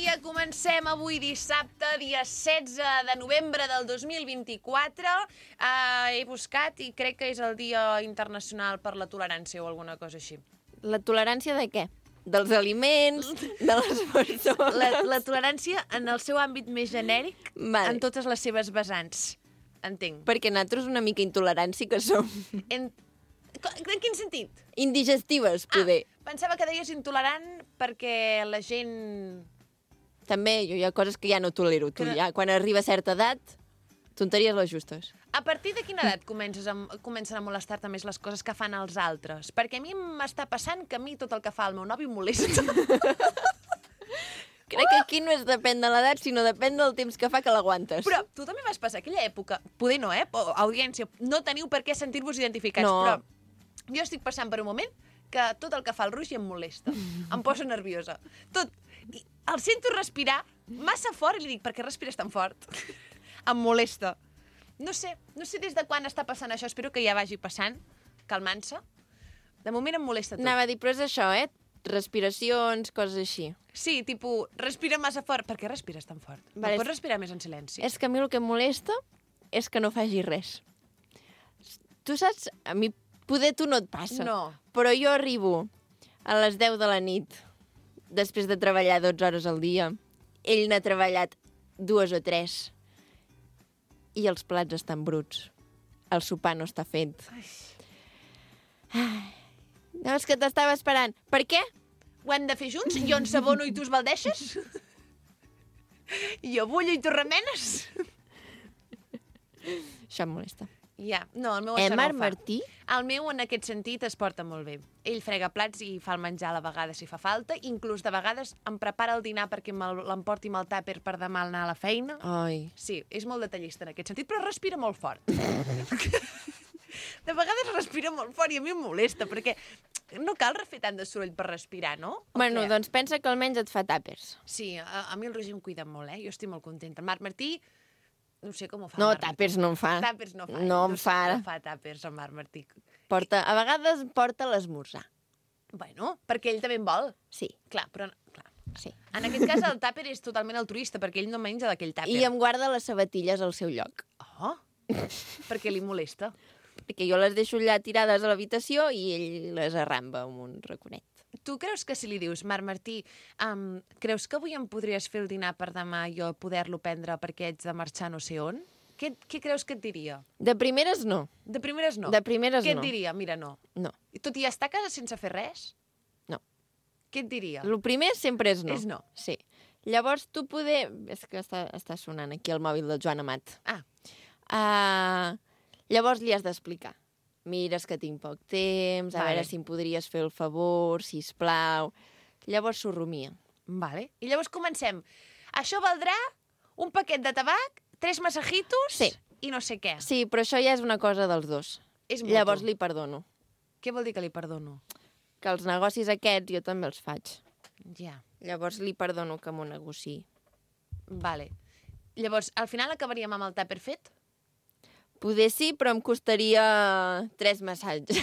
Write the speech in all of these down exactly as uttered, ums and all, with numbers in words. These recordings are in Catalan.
dia, comencem avui dissabte, dia setze de novembre del dos mil vint-i-quatre. Uh, he buscat i crec que és el Dia Internacional per la Tolerància o alguna cosa així. La tolerància de què? Dels aliments, de les persones... La, la tolerància en el seu àmbit més genèric, Vale. en totes les seves vessants. Entenc. Perquè nosaltres una mica intolerants sí que som. En, en quin sentit? Indigestives, poder. Ah, pensava que deies intolerant perquè la gent... També, jo hi ha coses que ja no tolero. Tu, Que no- ja, quan arriba a certa edat, tonteries les justes. A partir de quina edat comences a, comencen a molestar-te més les coses que fan els altres? Perquè a mi m'està passant que a mi tot el que fa el meu nòvio em molesta. Crec que aquí no és depèn de l'edat, sinó depèn del temps que fa que l'aguantes. Però tu també vas passar aquella època, poder no, eh? O, audiència, no teniu per què sentir-vos identificats, No. però jo estic passant per un moment que tot el que fa el Roger em molesta. Em posa nerviosa. Tot. I el sento respirar massa fort i li dic, per què respires tan fort? Em molesta. No sé, no sé des de quan està passant això. Espero que ja vagi passant, calmant-se. De moment em molesta tot. Anava a dir, però és això, eh? Respiracions, coses així. Sí, tipus, respira massa fort. Per què respires tan fort? Vale, No pots respirar més en silenci? És que a mi el que em molesta és que no faci res. Tu saps, a mi poder tu no et passa. No. Però jo arribo a les deu de la nit, després de treballar dotze hores al dia. Ell n'ha treballat dues o tres. I els plats estan bruts. El sopar no està fet. Ai. No, és que t'estava esperant. Per què? Ho hem de fer junts? Jo ensabono i tu esbaldeixes? Jo bullo i tu remenes? Això em molesta. Ja, no, el meu Eh, això no Marc ho fa. Martí? El meu, en aquest sentit, es porta molt bé. Ell frega plats i fa el menjar a la vegada si fa falta. Inclús de vegades em prepara el dinar perquè me'l- l'emporti amb el tàper per demà al anar a la feina. Ai. Sí, és molt detallista en aquest sentit, però respira molt fort. De vegades respira molt fort i a mi em molesta, perquè no cal fer tant de soroll per respirar, no? O Bueno, què? doncs pensa que almenys et fa tàpers. Sí, a, a mi el Roger em cuida molt, eh? Jo estic molt contenta. El Marc Martí, no sé com ho fa. No, el Marc tàpers no em fa. Martí. Tàpers no fa. No em sé fa. com fa tàpers el Marc Martí. Porta, a vegades porta l'esmorzar. Bueno, perquè ell també en vol. Sí, Clar, però... Clar. sí. En aquest cas el tàper és totalment altruista, perquè ell no menja d'aquell tàper. I em guarda les sabatilles al seu lloc. Oh, perquè li molesta. Perquè jo les deixo allà tirades a l'habitació i ell les arramba amb un raconet. Tu creus que si li dius, Marc Martí, um, creus que avui em podries fer el dinar per demà i jo poder-lo prendre perquè ets de marxar no sé on? Què, què creus que et diria? De primeres, no. De primeres no. De primeres Què no. et diria? Mira, no. No, I tot i estar a casa sense fer res? no. Què et diria? El primer sempre és no. És no. Sí. Llavors tu poder... És que està, està sonant aquí el mòbil del Joan Amat. Ah, Uh, llavors li has d'explicar. Mira, és que tinc poc temps, a Vale. veure si em podries fer el favor, sisplau. Llavors s'ho rumia. vale. I llavors comencem. Això valdrà un paquet de tabac, tres massajitos Sí. i no sé què. Sí, però això ja és una cosa dels dos. És mutu. Llavors li perdono. Què vol dir que li perdono? Que els negocis aquests jo també els faig. Ja, Llavors li perdono que m'ho negociï. vale. Llavors, al final acabaríem amb el tàper fet? Poder sí, però em costaria tres massatges.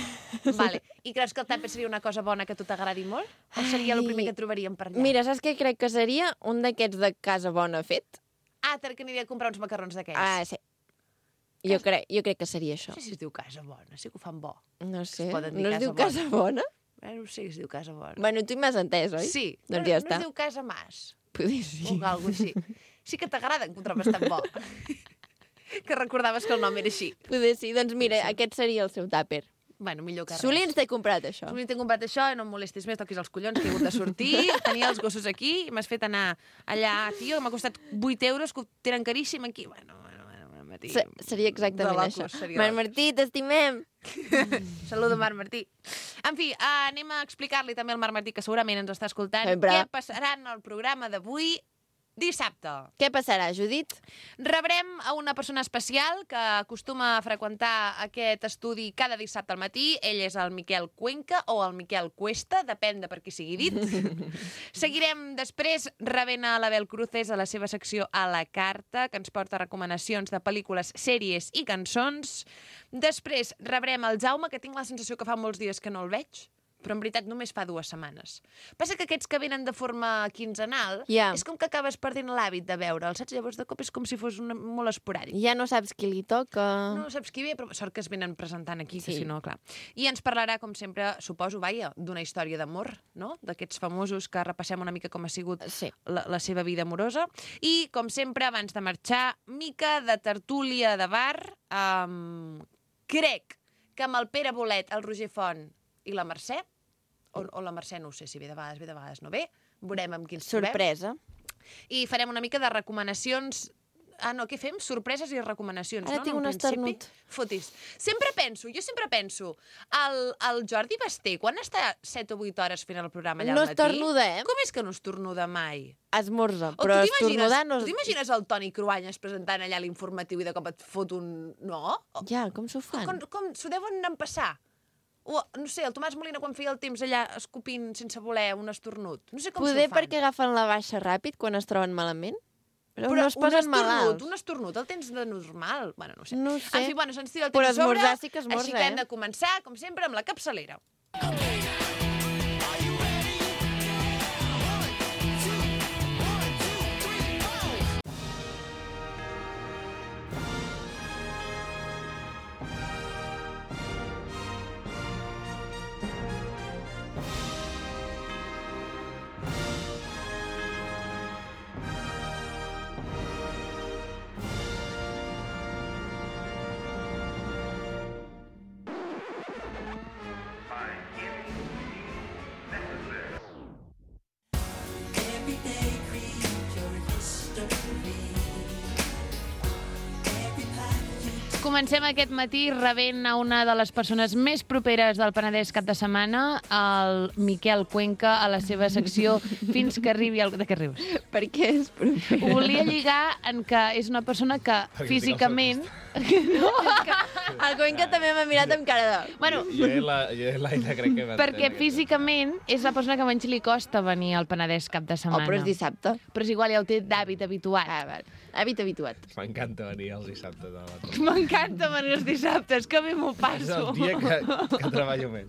Vale. I creus que el tàper seria una cosa bona que a tu t'agradi molt? O seria el Ai. primer que trobaríem per allà? Mira, saps què crec que seria? Un d'aquests de casa bona fet. Ah, que aniria a comprar uns macarrons d'aquells. Ah, sí. Jo crec, jo crec que seria això. No sé si es diu casa bona, sí que ho fan bo. No sé, poden dir no es casa diu casa bona? Eh, no sé si es diu casa bona. Bueno, tu m'has entès, oi? Sí, Doncs no, ja no està. es diu casa mas. Poder sí. O alguna cosa així. Sí que t'agrada, que ho trobes tan bo. Que recordaves que el nom era així. Poder sí, doncs mira, sí. Aquest seria el seu tàper. Bueno, millor que res. Solins t'he comprat això. Solins t'he comprat això i no em molestis més, toquis els collons, que he hagut de sortir, tenia els gossos aquí, i m'has fet anar allà, tio, m'ha costat vuit euros, que ho tenen caríssim aquí. Bueno, bueno, bueno, bueno Martí. Se seria exactament de locos, això. seria Marc de Martí, t'estimem! Saludo, Marc Martí. En fi, uh, anem a explicar-li també al Marc Martí, que segurament ens està escoltant, Sempre. què passarà en el programa d'avui, dissabte. Què passarà, Judit? Rebrem a una persona especial que acostuma a freqüentar aquest estudi cada dissabte al matí. Ell és el Miquel Cuenca o el Miquel Cuesta, depèn de per qui sigui dit. Seguirem després rebent a l'Abel Cruces a la seva secció A la Carta, que ens porta recomanacions de pel·lícules, sèries i cançons. Després rebrem el Jaume, que tinc la sensació que fa molts dies que no el veig, però en veritat només fa dues setmanes. Passa que aquests que venen de forma quinzenal, Ja. és com que acabes perdent l'hàbit de veure'ls, saps? Llavors de cop és com si fos una, molt esporàdic. Ja no saps qui li toca... No saps qui ve, però sort que es venen presentant aquí, que Sí. si no, clar. I ens parlarà, com sempre, suposo, vaja, d'una història d'amor, no? D'aquests famosos que repassem una mica com ha sigut Sí. la, la seva vida amorosa. I, com sempre, abans de marxar, mica de tertúlia de bar. Um, crec que amb el Pere Bolet, el Roger Font i la Mercè, o, o la Mercè no ho sé si ve de vegades, ve de vegades no ve, veurem amb qui ens trobem. Sorpresa. I farem una mica de recomanacions. Ah, no, què fem? Sorpreses i recomanacions, Ara no? tinc En un principi. esternut. Fotis. Sempre penso, jo sempre penso, el, el Jordi Basté, quan està set o vuit hores fent el programa allà No al matí... estornuda, eh? Com és que no estornuda mai? Esmorza, O però tu t'imagines estornudar no... tu t'imagines el Toni Cruanyes presentant allà l'informatiu i de cop et fot un... No? O, Ja, com s'ho fan? com com s'ho deuen empassar? O, no sé, el Tomàs Molina quan feia el temps allà escopint sense voler un esternut. No sé com Poder s'ho fan. perquè agafen la baixa ràpid quan es troben malament? Però, Però no es un posen estornut, malalts. un estornut, el tens de normal. Bueno, no ho sé. No ho sé. En fi, bueno, se'ns tira el Però temps a sobre, esmorzar sí que esmorza, així que hem eh? de començar, com sempre, amb la capçalera. Comencem aquest matí rebent a una de les persones més properes del Penedès cap de setmana, el Miquel Cuenca, a la seva secció Fins que arribi el... De què rius? Per què és proper? Ho volia lligar en que és una persona que Perquè físicament... No, és que el Cuenca també m'ha mirat amb cara de... Bueno, Jo i la- jo i l'Aina crec que... perquè físicament és la persona que menys li costa venir al Penedès cap de Oh, setmana. però és dissabte. Però és igual, ja el té d'hàbit habituat. Ah, val. Hàbit habituat. M'encanta venir els dissabtes a la tarda. M'encanta venir els dissabtes, que bé m'ho És passo. el dia que, que treballo més.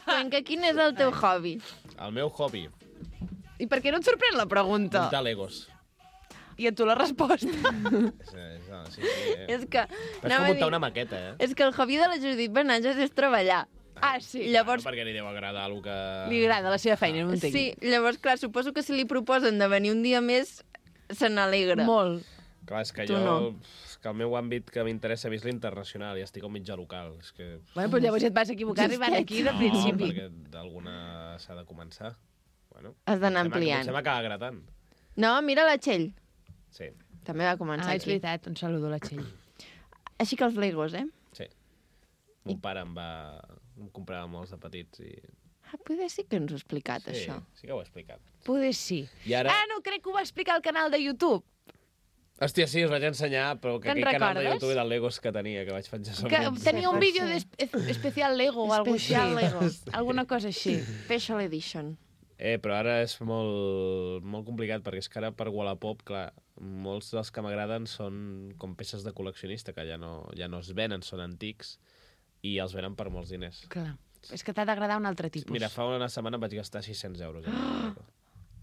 Cuenca, quin és el teu hobby? El meu hobby, I per què no et sorprèn la pregunta? muntar legos. I a tu la resposta. És, és, no, sí, sí, eh? És que... Però és anava com a muntar dir- una maqueta, eh? És que el hobby de la Judit Benatges és treballar. Ah, sí. Llavors, No, perquè li deu agradar el que... Li agrada la seva feina, no ho entenc. sí, llavors, clar, suposo que si li proposen de venir un dia més, se n'alegra. Molt. Clar, és que Tu jo... no. És que el meu àmbit que m'interessa és l'internacional i estic al mitjà local. És que... Bueno, però llavors ja et vas equivocar arribant aquí de No, principi. perquè d'alguna s'ha de començar. Bueno, Has d'anar potser m'ha- ampliant. Potser m'acaba agradant. No, mira la Txell. Sí, També va començar Ah, és aquí. veritat, un saludo a la Txell. Així que els Legos, eh? sí. Mon pare em va... em comprava molts de petits i... Ah, poder sí que ens ho ha explicat, Sí, això. sí que ho he explicat. Poder sí. I ara... Ah, no, crec que ho va explicar al canal de YouTube. Hòstia, sí, us vaig ensenyar, però que Te'n aquell canal de recordes? YouTube de Legos que tenia, que vaig penjar sobre... Que un- tenia un pot vídeo ser. de especial Lego o alguna cosa Especial així. Lego. Alguna cosa així. Special Edition. Eh, però ara és molt, molt complicat, perquè és que ara per Wallapop, clar, molts dels que m'agraden són com peces de col·leccionista, que ja no, ja no es venen, són antics, i els venen per molts diners. Clar. És que t'ha d'agradar un altre tipus. Mira, fa una setmana em vaig gastar sis-cents euros. En un Lego.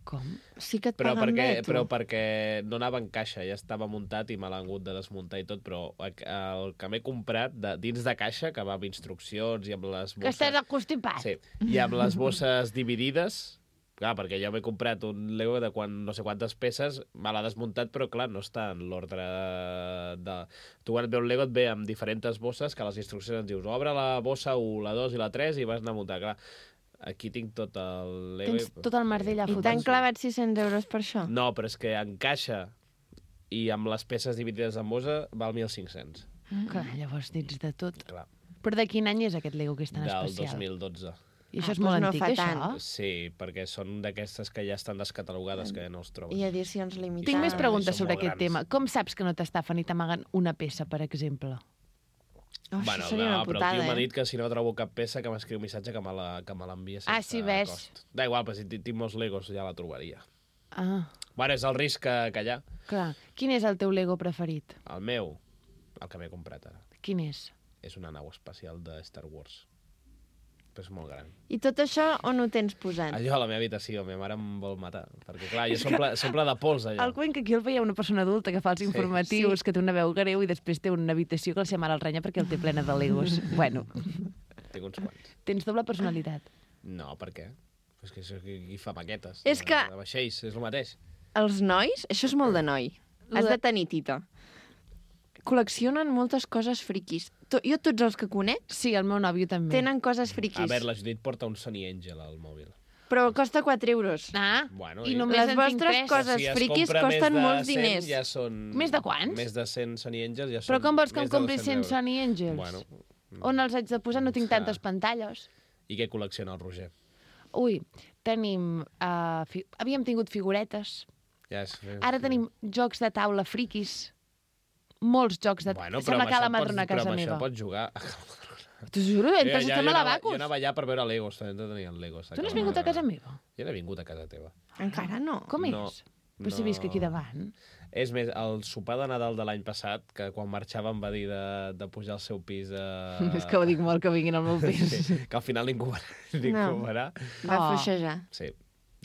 Com? Sí que et Però paguen perquè, bé, tu. però perquè no anava en caixa, ja estava muntat i me l'han hagut de desmuntar i tot, però el que m'he comprat de, dins de caixa, que va amb instruccions i amb les Que bosses... estàs constipat. Sí, i amb les bosses dividides, clar, perquè jo m'he comprat un Lego de quan, no sé quantes peces, me l'ha desmuntat, però clar, no està en l'ordre de... Tu quan et ve un Lego et ve amb diferents bosses, que a les instruccions ens dius, obre la bossa u, la dos i la tres i vas anar a muntar, clar. Aquí tinc tot el Lego... Tens tot el merdell a I fotre. t'han clavat sis-cents euros per això? No, però és que en caixa i amb les peces dividides en bossa val mil cinc-cents. Clar, llavors dins de tot. Clar, Però de quin any és aquest Lego que és tan del especial? dos mil dotze. I això Ah, és molt doncs no antic, fa això? tant. Sí, perquè són d'aquestes que ja estan descatalogades, que ja no els trobes. I edicions limitades. Tinc més preguntes són sobre molt aquest grans. tema. Com saps que no t'estafen i t'amaguen una peça, per exemple? Oh, Bueno, això seria no, una però el putada, tio m'ha eh? dit que si no trobo cap peça que m'escriu un missatge que me la- que me l'envia sense Ah, sí, ves. cost. Da igual, però si ti- tinc molts Legos ja la trobaria. Ah, Bueno, és el risc que, que hi ha. clar. Quin és el teu Lego preferit? El meu, el que m'he comprat ara. Quin és? és una nau espacial de Star Wars. Però és molt gran. I tot això on ho tens posat? Allò a la meva habitació, ma mare em vol matar. Perquè, clar, jo s'omple s'omple de pols, allò. El Cuenca aquí el veia una persona adulta que fa els informatius, sí. que té una veu greu i després té una habitació que la seva mare el renya perquè el té plena de legos. Bueno. Tinc uns quants. Tens doble personalitat. No, per què? És que qui fa maquetes. És de, que... De vaixells, és el mateix. Els nois, això és molt de noi. Has de tenir tita. Col·leccionen moltes coses friquis. To, jo tots els que conec Sí, el meu nòvio també. tenen coses friquis. A veure, la Judit porta un Sony Angel al mòbil. Però costa quatre euros. Ah, Bueno, i i- només Les en tinc vostres tres. coses Si es friquis compra més costen de molts cent, diners. Ja són... Més de quants? Més de cent Sony Angels ja són... Però com vols que em més de compri dos-cents cent euros. Sony Angels? Bueno, On els haig de posar? No tinc Clar. tantes pantalles. i què col·lecciona el Roger? Ui, tenim... Uh, fi... Havíem tingut figuretes. Ja és... Ara tenim jocs de taula friquis. Molts jocs de... Bueno, però Sembla amb que a la això pots- madrona a però casa amb meva. això pots jugar. T'ho juro, Jo, entres ja, estem jo, a la anava, Bacus. jo anava allà per veure Legos, també tenien Legos. Tu no has vingut a casa meva? Jo no he vingut a casa teva. Encara no. Com No, és? Però si visc aquí no. davant. És més, el sopar de Nadal de l'any passat, que quan marxava em va dir de, de pujar al seu pis a... És que ho dic molt, que vinguin al meu pis. Sí, que al final ningú, ningú No. no. verà. Va Oh. fluixejar. Sí,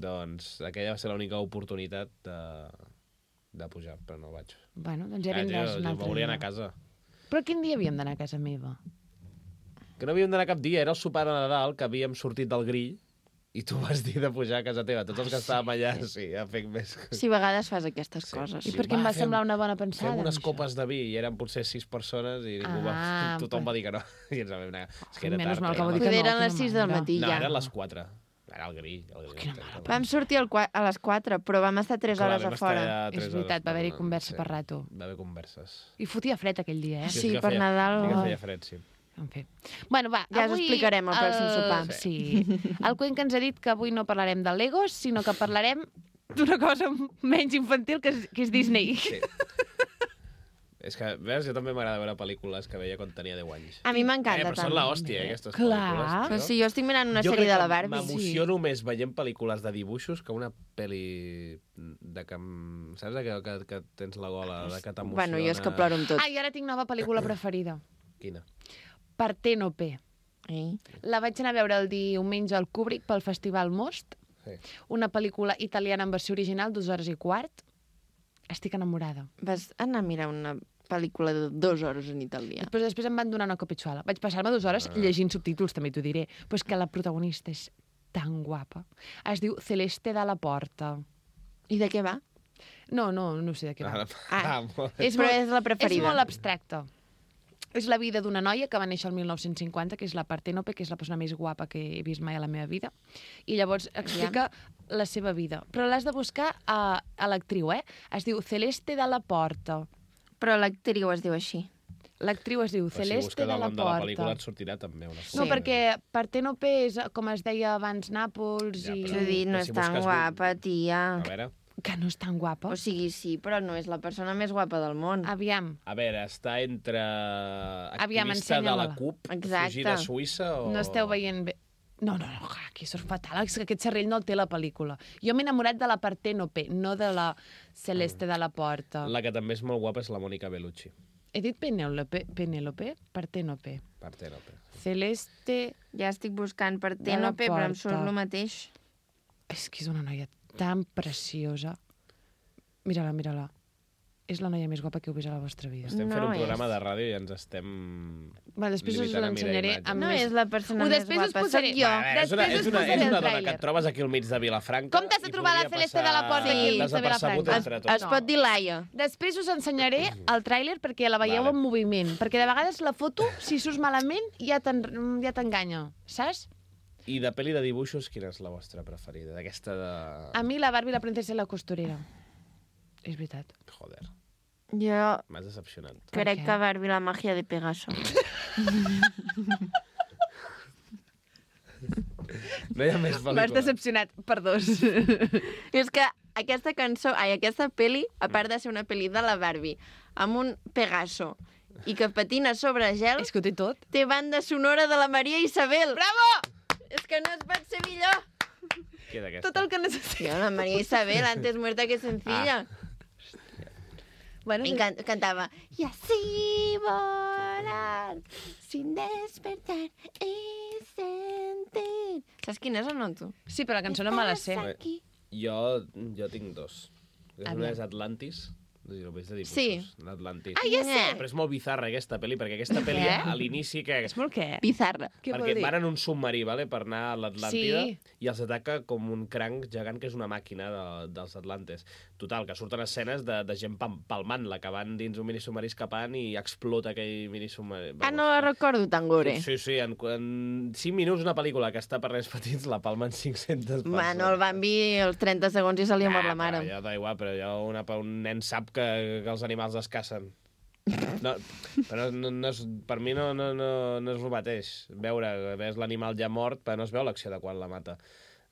doncs aquella va ser l'única oportunitat de, de pujar, però no vaig. Bueno, doncs ja Ah, vindràs jo, un jo altre m'hauria dia. anar a casa. Però quin dia havíem d'anar a casa meva? Que no havíem d'anar cap dia, era el sopar de Nadal, que havíem sortit del grill, i tu vas dir de pujar a casa teva. Tots els que estàvem allà, sí, ja fem més... Si a vegades fas aquestes Sí. coses. I Sí, per què em va, va fem- semblar una bona pensada? Fem unes això? copes de vi, i eren potser sis persones, i ningú va... Ah, tothom però- va dir que no. I ens vam anar. És que era Menys tard. mal que era vau dir la- que Poder no, eren les quina sis del mandra. matí No, ja. eren les quatre. Era el grill. El grill quina el- Vam sortir al qua- a les quatre, però vam estar tres Clar, hores vam a estar fora. allà És tres veritat, hores va haver-hi parlant, conversa sí. per rato. Va haver converses. I fotia fred aquell dia, eh? Sí, és que per feia- Nadal. Sí que Oh. feia fred, sí. En fi. Bueno, va, Ja us avui... explicarem al pròxim sopar. Sí. El Cuenca ens ha dit que avui no parlarem de Legos, sinó que parlarem d'una cosa menys infantil, que és, que és Disney. Sí. És que, veus, jo també m'agrada veure pel·lícules que veia quan tenia deu anys. A mi Eh, m'encanta però són també. l'hòstia, eh, aquestes Clar. pel·lícules. Però sí, jo estic mirant una Jo sèrie crec de la que Barbie. M'emociono més veient pel·lícules de dibuixos que una pel·li de que... em- Saps? Que, que, que tens la gola, de que t'emociona... Bueno, jo és que ploro amb tot. Ah, i ara tinc nova pel·lícula preferida. Quina? Parténope. Ei. La vaig anar a veure el diumenge al Kubrick pel Festival Most, Sí. una pel·lícula italiana en versió original, dues hores i quart. Estic enamorada. Vas anar a mirar una pel·lícula de dues hores en italià. Després, després em van donar una copitxuala. Vaig passar-me dues hores llegint subtítols, també t'ho diré. Però és que la protagonista és tan guapa. Es diu Celeste de la Porta. I de què va? No, no, no sé de què va. Ah, Ah. ah, molt bé. És Però molt- és la preferida. És molt abstracta. És la vida d'una noia que va néixer el mil nou-cents cinquanta, que és la Parténope, que és la persona més guapa que he vist mai a la meva vida. I llavors explica la seva vida. Però l'has de buscar a, a l'actriu, eh? Es diu Celeste de la Porta. Però l'actriu es diu així. L'actriu es diu Però si Celeste busques de el la nom de la pel·lícula Porta. et sortirà també una No, Sí. perquè Parténope és, com es deia abans, Nàpols Ja, i... però- Judit, no però és si tan busques guapa, tia. A veure... Que no és tan guapa. O sigui, sí, però no és la persona més guapa del món. Aviam, A veure, està entre Aviam, activista de la ensenya-me-la. CUP, Exacte. fugir a Suïssa o... no esteu veient bé. No, no, no, clar, aquí sóc fatal. És que aquest cerrell no el té la pel·lícula. Jo m'he enamorat de la Parténope, no de la Celeste de la Porta. La que també és molt guapa és la Mònica Bellucci. He dit Penélope? Penélope? Parténope. Parténope. Celeste... Ja estic buscant per Ténope, però em surt porta. el mateix. És que és una noia tan preciosa. Mira-la, mira-la. És la noia més guapa que heu vist a la vostra vida. Estem fent No un programa és. de ràdio i ens estem... Va, després us limitant a mirar l'ensenyaré imatges. amb No més... és la persona Ho més després us guapa, posaré- sóc jo. A veure, és una, Després és us una, posaré és el una dona tràiler. que et trobes aquí al mig de Vilafranca. Com t'has de i trobar la podria Celeste de la Porta aquí al mig de desapercebut Vilafranca? entre Es, tots. es pot dir Laia. Després us ensenyaré el tràiler perquè la veieu Vale. en moviment. Perquè de vegades la foto, si surts malament, ja t'en- ja t'enganya. Saps? I de pel·li de dibuixos, quina és la vostra preferida? D'aquesta de... A mi la Barbie, la princesa i la costurera. És veritat. Joder, Jo m'has decepcionat. Per crec què? que Barbie la màgia de Pegaso. No hi ha més M'has pel·lícules. decepcionat per dos. I és que aquesta cançó, ai, aquesta peli, a part de ser una peli de la Barbie, amb un Pegaso i que patina sobre gel, És que ho té tot. té banda sonora de la Maria Isabel. Bravo! És que no es pot ser millor. Què d'aquesta? Tot el que necessito. Tio, la Maria Isabel, antes muerta que sencilla. Bueno, I can cantava, i així voy volar sin despertar y sentir... Saps quina és o no, tu? Sí, però la cançó no me la sé. Estàs aquí. Jo, jo tinc dos. Una Aviam. és Atlantis, no sé si ho veig de dibuixos. Sí. L'Atlantis. Ah, ja sé! Però és molt bizarra aquesta pel·li, perquè aquesta pel·li Què? a l'inici que... És molt què? Bizarra. Què vol perquè dir? van en un submarí, vale, per anar a l'Atlàntida, Sí. i els ataca com un cranc gegant que és una màquina de, dels Atlantes. Total, que surten escenes de, de gent pam- palmant-la, que van dins un minisubmarí escapant i explota aquell minisubmarí. Ah, no la recordo tan gore. Sí, sí, en, en cinc minuts una pel·lícula que està per nens petits la palmen cinc-centes persones. Bueno, el Bambi, els trenta segons i se li ha mort la mare. Ah, ja da igual, però ja una, un nen sap que, que els animals es cacen. No, però no, no és, per mi no, no, no, no és el mateix. Veure, ves l'animal ja mort, però no es veu l'acció de quan la mata.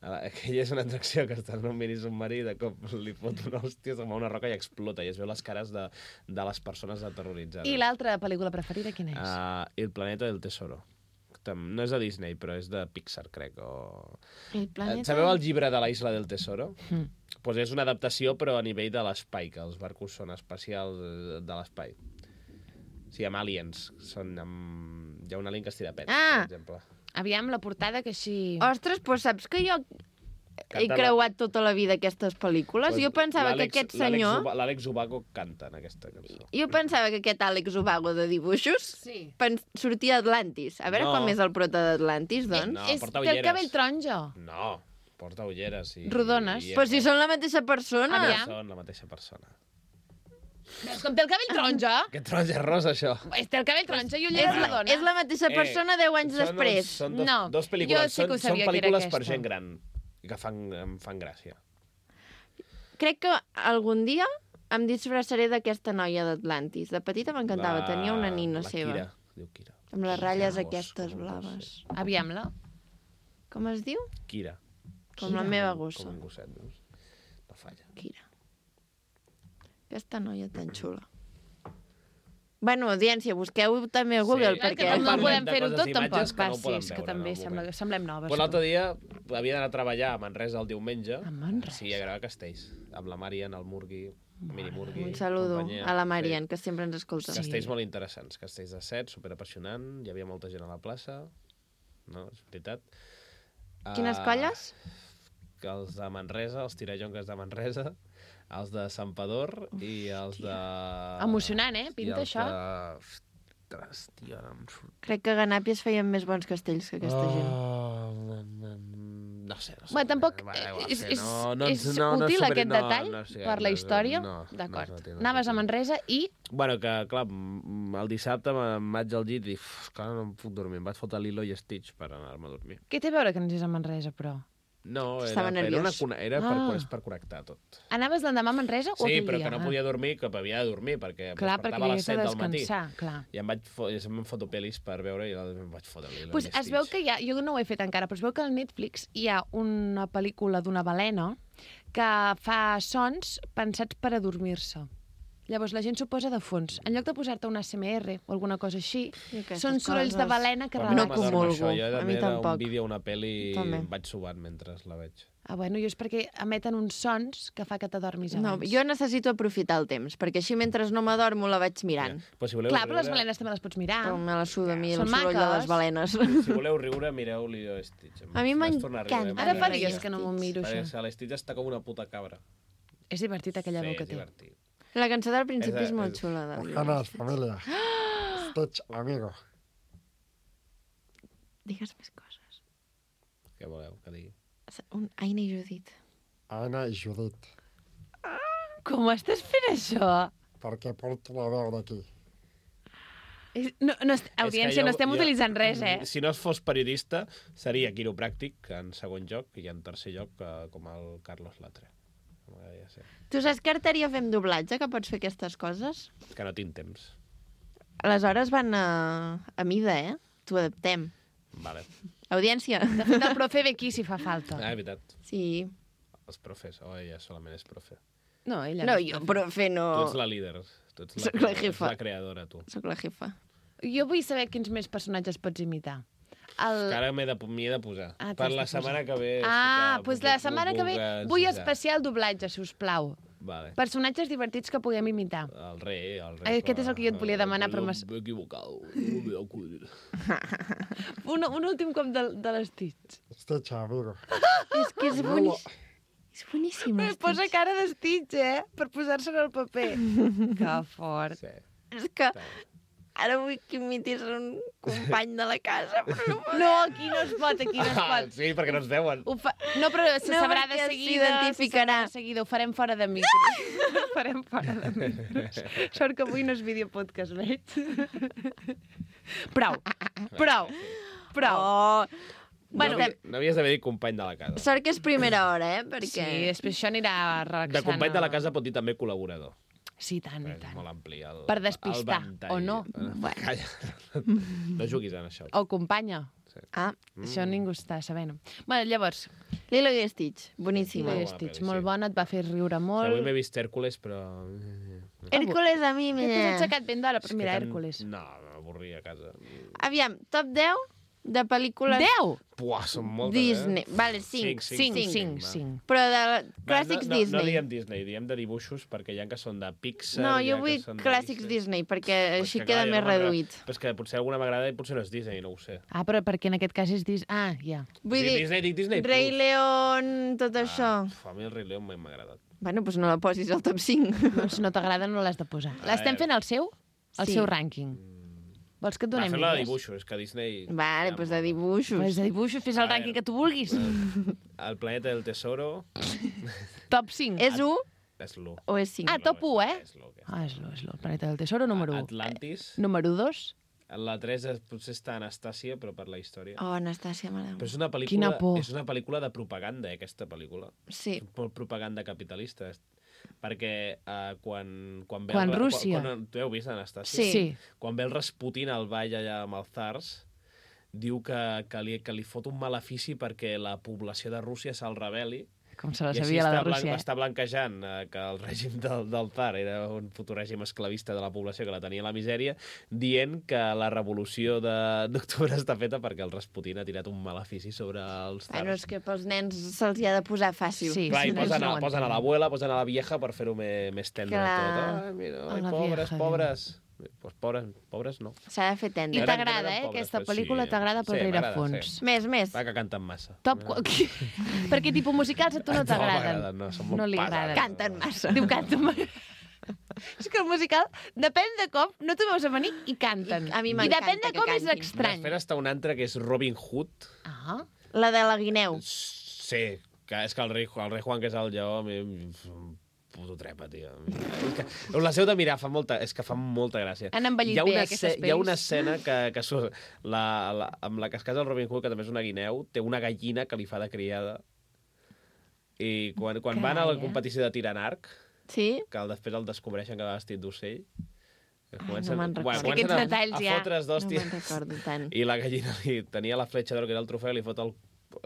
Aquella és una atracció que està en un mini submarí, de cop li fot una hòstia, se'n va una roca i explota, i es veu les cares de, de les persones aterroritzades. I l'altra pel·lícula preferida quina és? Uh, El planeta del tesoro. No és de Disney, però és de Pixar, crec. O... El planeta... Sabeu el llibre de la Isla del Tesoro? Mm. Pues és una adaptació, però a nivell de l'espai, que els barcos són espacials eh, de l'espai. Sí, amb aliens. Són amb... Hi ha un alien que es tira pets, Ah! per exemple. Aviam, la portada que així... Ostres, doncs saps que jo he Canta la- creuat tota la vida aquestes pel·lícules? Pues Jo pensava que l'Àlex- aquest l'Àlex senyor... Uba- L'Àlex Ubago canta en aquesta cançó. Jo pensava que aquest Àlex Ubago de dibuixos Sí. pen- sortia d'Atlantis. A veure No. com és el prota d'Atlantis, doncs. No, és, porta té el ulleres. cabell taronja. No, porta ulleres. I, Rodones. I, Però si són la mateixa persona. Aviam. Són la mateixa persona. Veus com té el cabell taronja? Que taronja és rosa, això. És té el cabell taronja i És, ulleres la, rodones. és la mateixa persona deu anys Eh, són després. Dos, són dos, No, dos pel·lícules. jo sí que ho són, sabia són que era pel·lícules per aquesta. gent gran i que fan, em fan gràcia. Crec que algun dia em disfressaré d'aquesta noia d'Atlantis. De petita m'encantava, La- tenia una nina la seva. Kira, diu Kira. Amb les ratlles Gos, aquestes com un gos, blaves. sí. Aviam-la. Com es diu? Kira. Com la Kira. meva Com gossa. un gosset, veus? No falla. Kira. Aquesta noia tan xula. Bueno, audiència, busqueu també a Google, Sí. Perquè perquè... no, no parlem podem de fer-ho coses tot, d'imatges tampoc. que no Va, sí, poden és que veure també en el sembla, moment. semblem noves. Pues l'altre dia havia d'anar a treballar a Manresa el diumenge. A Manresa? Sí, a gravar castells. Amb la Marian, el Murgui, Mini Murgui. Un saludo companyia. a la Marian, que sempre ens Sí. escolta. Sí. Castells molt interessants. Castells de set, superapassionant. Hi havia molta gent a la plaça. No, és veritat. Quines Ah, colles? que els de Manresa, els tirajonques de Manresa, els de Santpedor i els de... Emocionant, eh? i Pinta els això. De... Ostres, tio, ara em surt... Crec que a Ganàpies feien més bons castells que aquesta gent. Oh, no sé, no sé. Bé, tampoc Va, da igual, és, sí, és, no, no, és no, no útil superi- aquest no, detall no, sí, per la no, història? no, no D'acord. és útil, no és Anaves a útil. Manresa i... Bueno, que, clar, m- el dissabte me'n vaig al llit i uf, clar, no em puc dormir. Em vaig fotre Lilo i Stitch per anar-me a dormir. Què té a veure que anés a Manresa, però? No, era, Estava era, una, nerviós. cone- era per, Ah. és per connectar tot. Anaves l'endemà a Manresa o Sí, aquell però dia? que no podia dormir, que havia de dormir, perquè em Clar, perquè despertava a les havies de set del matí. descansar, clar. I em vaig fo i em foto pel·lis per veure i em vaig fotre Lilo Pues i es Stitch. veu que hi ha, jo no ho he fet encara, però es veu que al Netflix hi ha una pel·lícula d'una balena que fa sons pensats per adormir-se. Llavors la gent s'ho posa de fons. En lloc de posar-te un A S M R o alguna cosa així, I aquestes són sorolls de coses- balena que Però a mi No no relaxen. m'adorm comulgo. això, jo A mi era tampoc. un vídeo, una pel·li i També. em vaig subant mentre la veig. Ah, bueno, jo és perquè emeten uns sons que fa que t'adormis No, abans. jo necessito aprofitar el temps, perquè així mentre no m'adormo la vaig mirant. Però si voleu Clar, però les riure- balenes també les pots mirar. Però me la suda a mi el Són soroll de maques. les balenes. Si voleu riure, mireu Lilo i Stitch. Em A mi vaig tornar a riure, m'encanta. Ara fa m'agrada. dies que no m'ho miro, Perquè això. la Stitch està com una puta cabra. És divertit aquella sí, veu que és té. divertit. La cançó del principi És- és molt és- xula. De Buenas, familia. Stitch, amigo. Digues més coses. Què voleu que digui? Un Aina i Judit. Anna i Judit. Com estàs fent això? Perquè porto la veu d'aquí. És- No, no, est- És que audiència, jo- no estem jo- utilitzant res, eh? Si no es fos periodista, seria quiropràctic en segon lloc i en tercer lloc eh, com el Carlos Latre. M'agradaria ser. Tu saps que Arteria fem doblatge, que pots fer aquestes coses? Que no tinc temps. Aleshores van a, a mida, eh? T'ho adaptem. Vale. Audiència. De fet, el profe ve aquí si fa falta. Ah, és veritat. Sí. Els profes. Oh, ella solament és profe. No, ella No, és jo, profe. profe, Tu no. ets la líder. Tu ets la, Soc la ets jefa. la creadora, tu. Soc la jefa. Jo vull saber quins més personatges pots imitar. El... Que ara m'he de, m'hi he de posar. Ah, per t'has la de posar. setmana que ve... Ah, sí que doncs puc- la puc- setmana que ve puc vull ensenyar. especial doblatge, si us plau. Vale. Personatges divertits que puguem imitar. El rei, el rei. Aquest és el que jo et volia demanar, però m'has- M'he equivocat. No m'he acudit. Un, un últim cop de, de l'Stitch. Stitch, amigo. És que és boníssim. És boníssim, Eh, Posa l'Stitch. cara de Stitch, eh? Per posar-se en el paper. Que fort. Sí. És que ara vull que imitis un company de la casa, però no podem. No, aquí no es pot, aquí no es Ah, pot. sí, perquè no ens veuen. Ho fa... No, però se No, sabrà de perquè seguida. s'identificarà. se sabrà De seguida, ho farem fora de micros. Ho farem fora de micros. Sort que avui no és videopodcast, veig. Prou, prou, prou. Oh, Bueno, no, havi- no havies d'haver dit company de la casa. sort que és primera hora, eh? Perquè... sí, després això anirà relaxant. De company de la casa pot dir també col·laborador. Sí, tant, i És tant. molt ampli. El, Per despistar, el ventall. o no? Bueno. Calla. No juguis en això. O companya. Ah, Això ningú està sabent. Bueno, llavors, Lilo i Stitch, boníssima. Lilo i bona Stitch, pel·li, molt sí. bona, et va fer riure Sí, molt. avui m'he vist Hèrcules, però... Hércules a mi, T'he mira. aixecat ben d'hora per És que mirar tan- Hèrcules. No, m'avorria a casa. Aviam, top deu de pel·lícules Deu? Buah, són moltes, Disney. eh? Vale, cinc. Cinc, Cinc, cinc, cinc, va. cinc. Però de Va, clàssics no, no, Disney. No diem Disney, diem de dibuixos, perquè hi ha que són de Pixar... No, hi jo ha vull que són de clàssics Disney, perquè Pues així que, queda clar, jo més no m'agrada. reduït. Però és que potser alguna m'agrada i potser no és Disney, no ho sé. Ah, però perquè en aquest cas és Disney. Ah, ja. Vull Sí, dir, Disney, dic Disney Rei Plus. León, tot això. Ah, pf, a mi el Rei León m'ha agradat. Bueno, doncs no la posis al top cinc. Doncs si no t'agrada no l'has de posar. L'estem fent al seu? Al Sí. seu rànquing. Vols que et Va, donem fem-la de idees? dibuixos, és que Disney... Vale, ja doncs em- de dibuixos. Pues de dibuixos, fes el A rànquing veure. que tu vulguis. El planeta del tesoro Top cinc. És u és l'u. o és cinc? Ah, top u, eh? És l'u, és Ah, és lo, és lo. Planeta del Tesoro, número u. Atlantis. Número dos. La tres és, potser està Anastàcia, però per la història. Oh, Anastàcia, mare Però és meva. una pel·lícula, Quina por. és una pel·lícula de propaganda, eh, aquesta pel·lícula. Sí. Molt propaganda capitalista. Perquè uh, quan, quan ve... Quan el, Rússia. Quan, quan, tu heu vist, Anastàcia? Sí. Sí. Quan ve el Rasputin al ball allà amb els zars, diu que, que, li, que li fot un malefici perquè la població de Rússia se'l rebel·li. Com se la I així sabia la de està, blan, Rússia. eh? està blanquejant eh, que el règim del, del tsar era un futur règim esclavista de la població que la tenia a la misèria, dient que la revolució de- d'octubre està feta perquè el Rasputin ha tirat un malefici sobre els tsars. Bueno, és que pels nens se'ls hi ha de posar fàcil. Sí. Clar, i no, posen, no a, ho posen a entenc. l'abuela, posen a la vieja per fer-ho més, més tendre Clar. tot. Ai, mira, A ai, la pobres, vieja, pobres. Pues pobres, pobres no. S'ha de fer I tendre. Eren- t'agrada, eren eh? pobres, Aquesta però pel·lícula sí. t'agrada per Sí, m'agrada, rerefons. sí. Més, més. Va, que canten massa. Top... qu- Perquè tipus musicals a tu no No t'agraden. m'agraden, no, són molt No li pesades. agraden. Canten massa. Diu, canta. És que el musical, depèn de com, no t'ho veus a venir i canten. I a mi I m'encanta depèn de que com és cantin. estrany. Després està un altre que és Robin Hood. Ah, La de la guineu. Sí, que és que el rei, el rei Juan, que és el lleó, a mi em fa un puto trepa, tio. És que, les heu de mirar, fa molta, és que fa molta gràcia. Han envellit hi ha bé, una, aquestes esce- hi ha una pel·lis. escena que, que surt, la, la, amb la que es casa el Robin Hood, que també és una guineu, té una gallina que li fa de criada. I quan, quan van a la Carai, eh? competició de tir en arc, Sí? que el, després el descobreixen que va vestit d'ocell, que Ai, no me'n recordo. És que aquests a, detalls a ja- fotre's No d'hòstia. me'n recordo tant. I la gallina li, tenia la fletxa d'or, que era el trofeu, i li fot el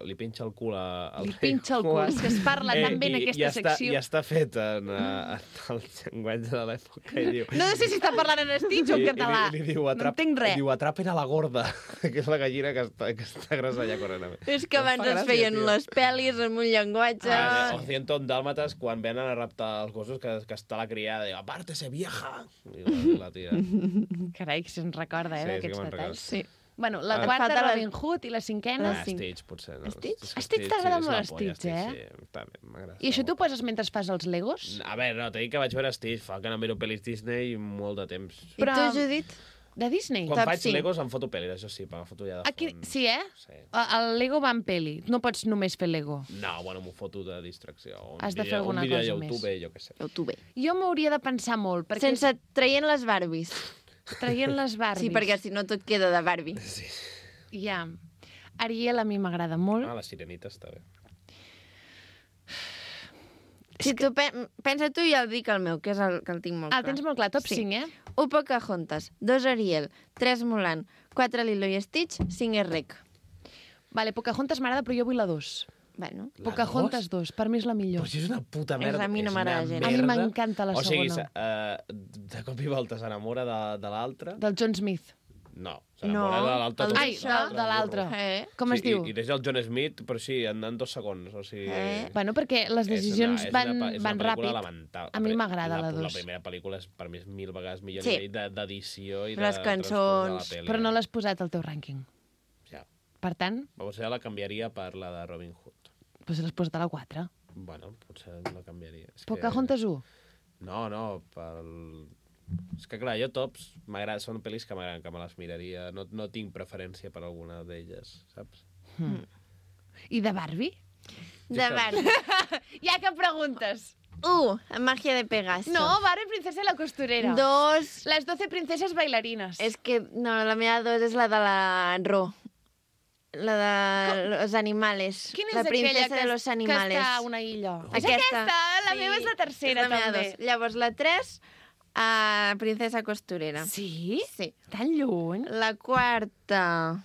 li pinxa el cul a, al li rei pinxa el cul. Juan. És que es parla tan bé en i, aquesta i està, secció. I està fet en, uh, en el llenguatge de l'època. I diu, No sé si està parlant en Stitch o en i, català. I, li, li diu, No atrap, entenc res. diu, atrapen a la gorda, que és la gallina que està, que està grossa allà corrent. És que Em fa abans es gràcia, feien tio. les pel·lis amb un llenguatge... Ah, o ciento dàlmates, quan venen a raptar els gossos, que, que està la criada, diu, aparte-se, vieja! I la, la tira. Carai, que se'n recorda, eh, Sí, sí que d'aquests me'n detalls. Sí. Bueno, la Ah. quarta, Falta la- Robin Hood, i la cinquena... Ah, cinc. Stitch, potser. No? Stitch? És que Stitch t'agrada és molt, la polla, Stitch, eh? Sí, està bé, m'agrada. I això tu poses mentre fas els Legos? A veure, no, t'he dit que vaig veure Stitch, fa que no miro pel·lis Disney molt de temps. I Però- tu, Judit? De Disney? Quan Top faig cinc. Legos em foto pel·lis, això sí, per la foto ja de Aquí, fons. sí, eh? Sí. El Lego va en peli. No pots només fer Lego. No, bueno, m'ho foto de distracció. Un Has de fer vídeo- alguna un vídeo cosa a YouTube, més. jo què sé. O tu bé. Jo m'hauria de pensar molt, perquè Sense traient les Barbies. traient les Barbies. Sí, perquè si no tot queda de Barbie. Sí. Ja. Ariel a mi m'agrada molt. Ah, la sirenita està bé. Si tu pe pensa tu i ja el dic el meu, que és el que el tinc molt Ah, el clar. tens molt clar, top Sí. cinc, eh? u Pocahontas, dos Ariel, tres Mulan, quatre Lilo i Stitch, cinc és Rec. Vale, Pocahontas m'agrada, però jo vull la dos. Bueno, La Pocahontas dos, per mi és la millor. Però si és una puta És- merda. a mi no és m'agrada una gens. A mi merda. m'encanta la o sigui, segona. uh, de cop i volta s'enamora de, de l'altre. Del John Smith. No, No, s'enamora de l'altre. el tot- Ai, d'això. de, de l'altre. Eh? Com es sí, diu? I, i deixa el John Smith, però sí, en, en dos segons. O sigui, Eh? Bueno, perquè les decisions és una, és van, una, és van una pel·lícula ràpid. lamentable. A mi m'agrada la La dos. primera pel·lícula és, per mi és mil vegades millor Sí. sí. nivell de- d'edició i de Les transport cançons, de la pel·li. Però no l'has posat al teu rànquing. Ja. Per tant, Potser la canviaria per la de Robin Hood. doncs l'has posat a la quatre. Bueno, potser la canviaria. És Pocahontas u. No, no, pel... És que clar, jo tops, m'agrada, són pel·lis que m'agraden, que me les miraria. No, no tinc preferència per alguna d'elles, saps? Hmm. I de Barbie? De Barbie. Ja que preguntes. U, Magia de Pegaso. No, Barbie, princesa i la costurera. Dos, Les doce princeses bailarines. és que, no, la meva dos és la de la Ro. La de los animales. Quina és la princesa aquella que, de los que animales. està a una illa? És Aquesta. aquesta, la Sí, meva és la tercera, és la meva també. dos. Llavors, la tres, a Princesa Costurera. Sí? Sí. Tan lluny? La quarta,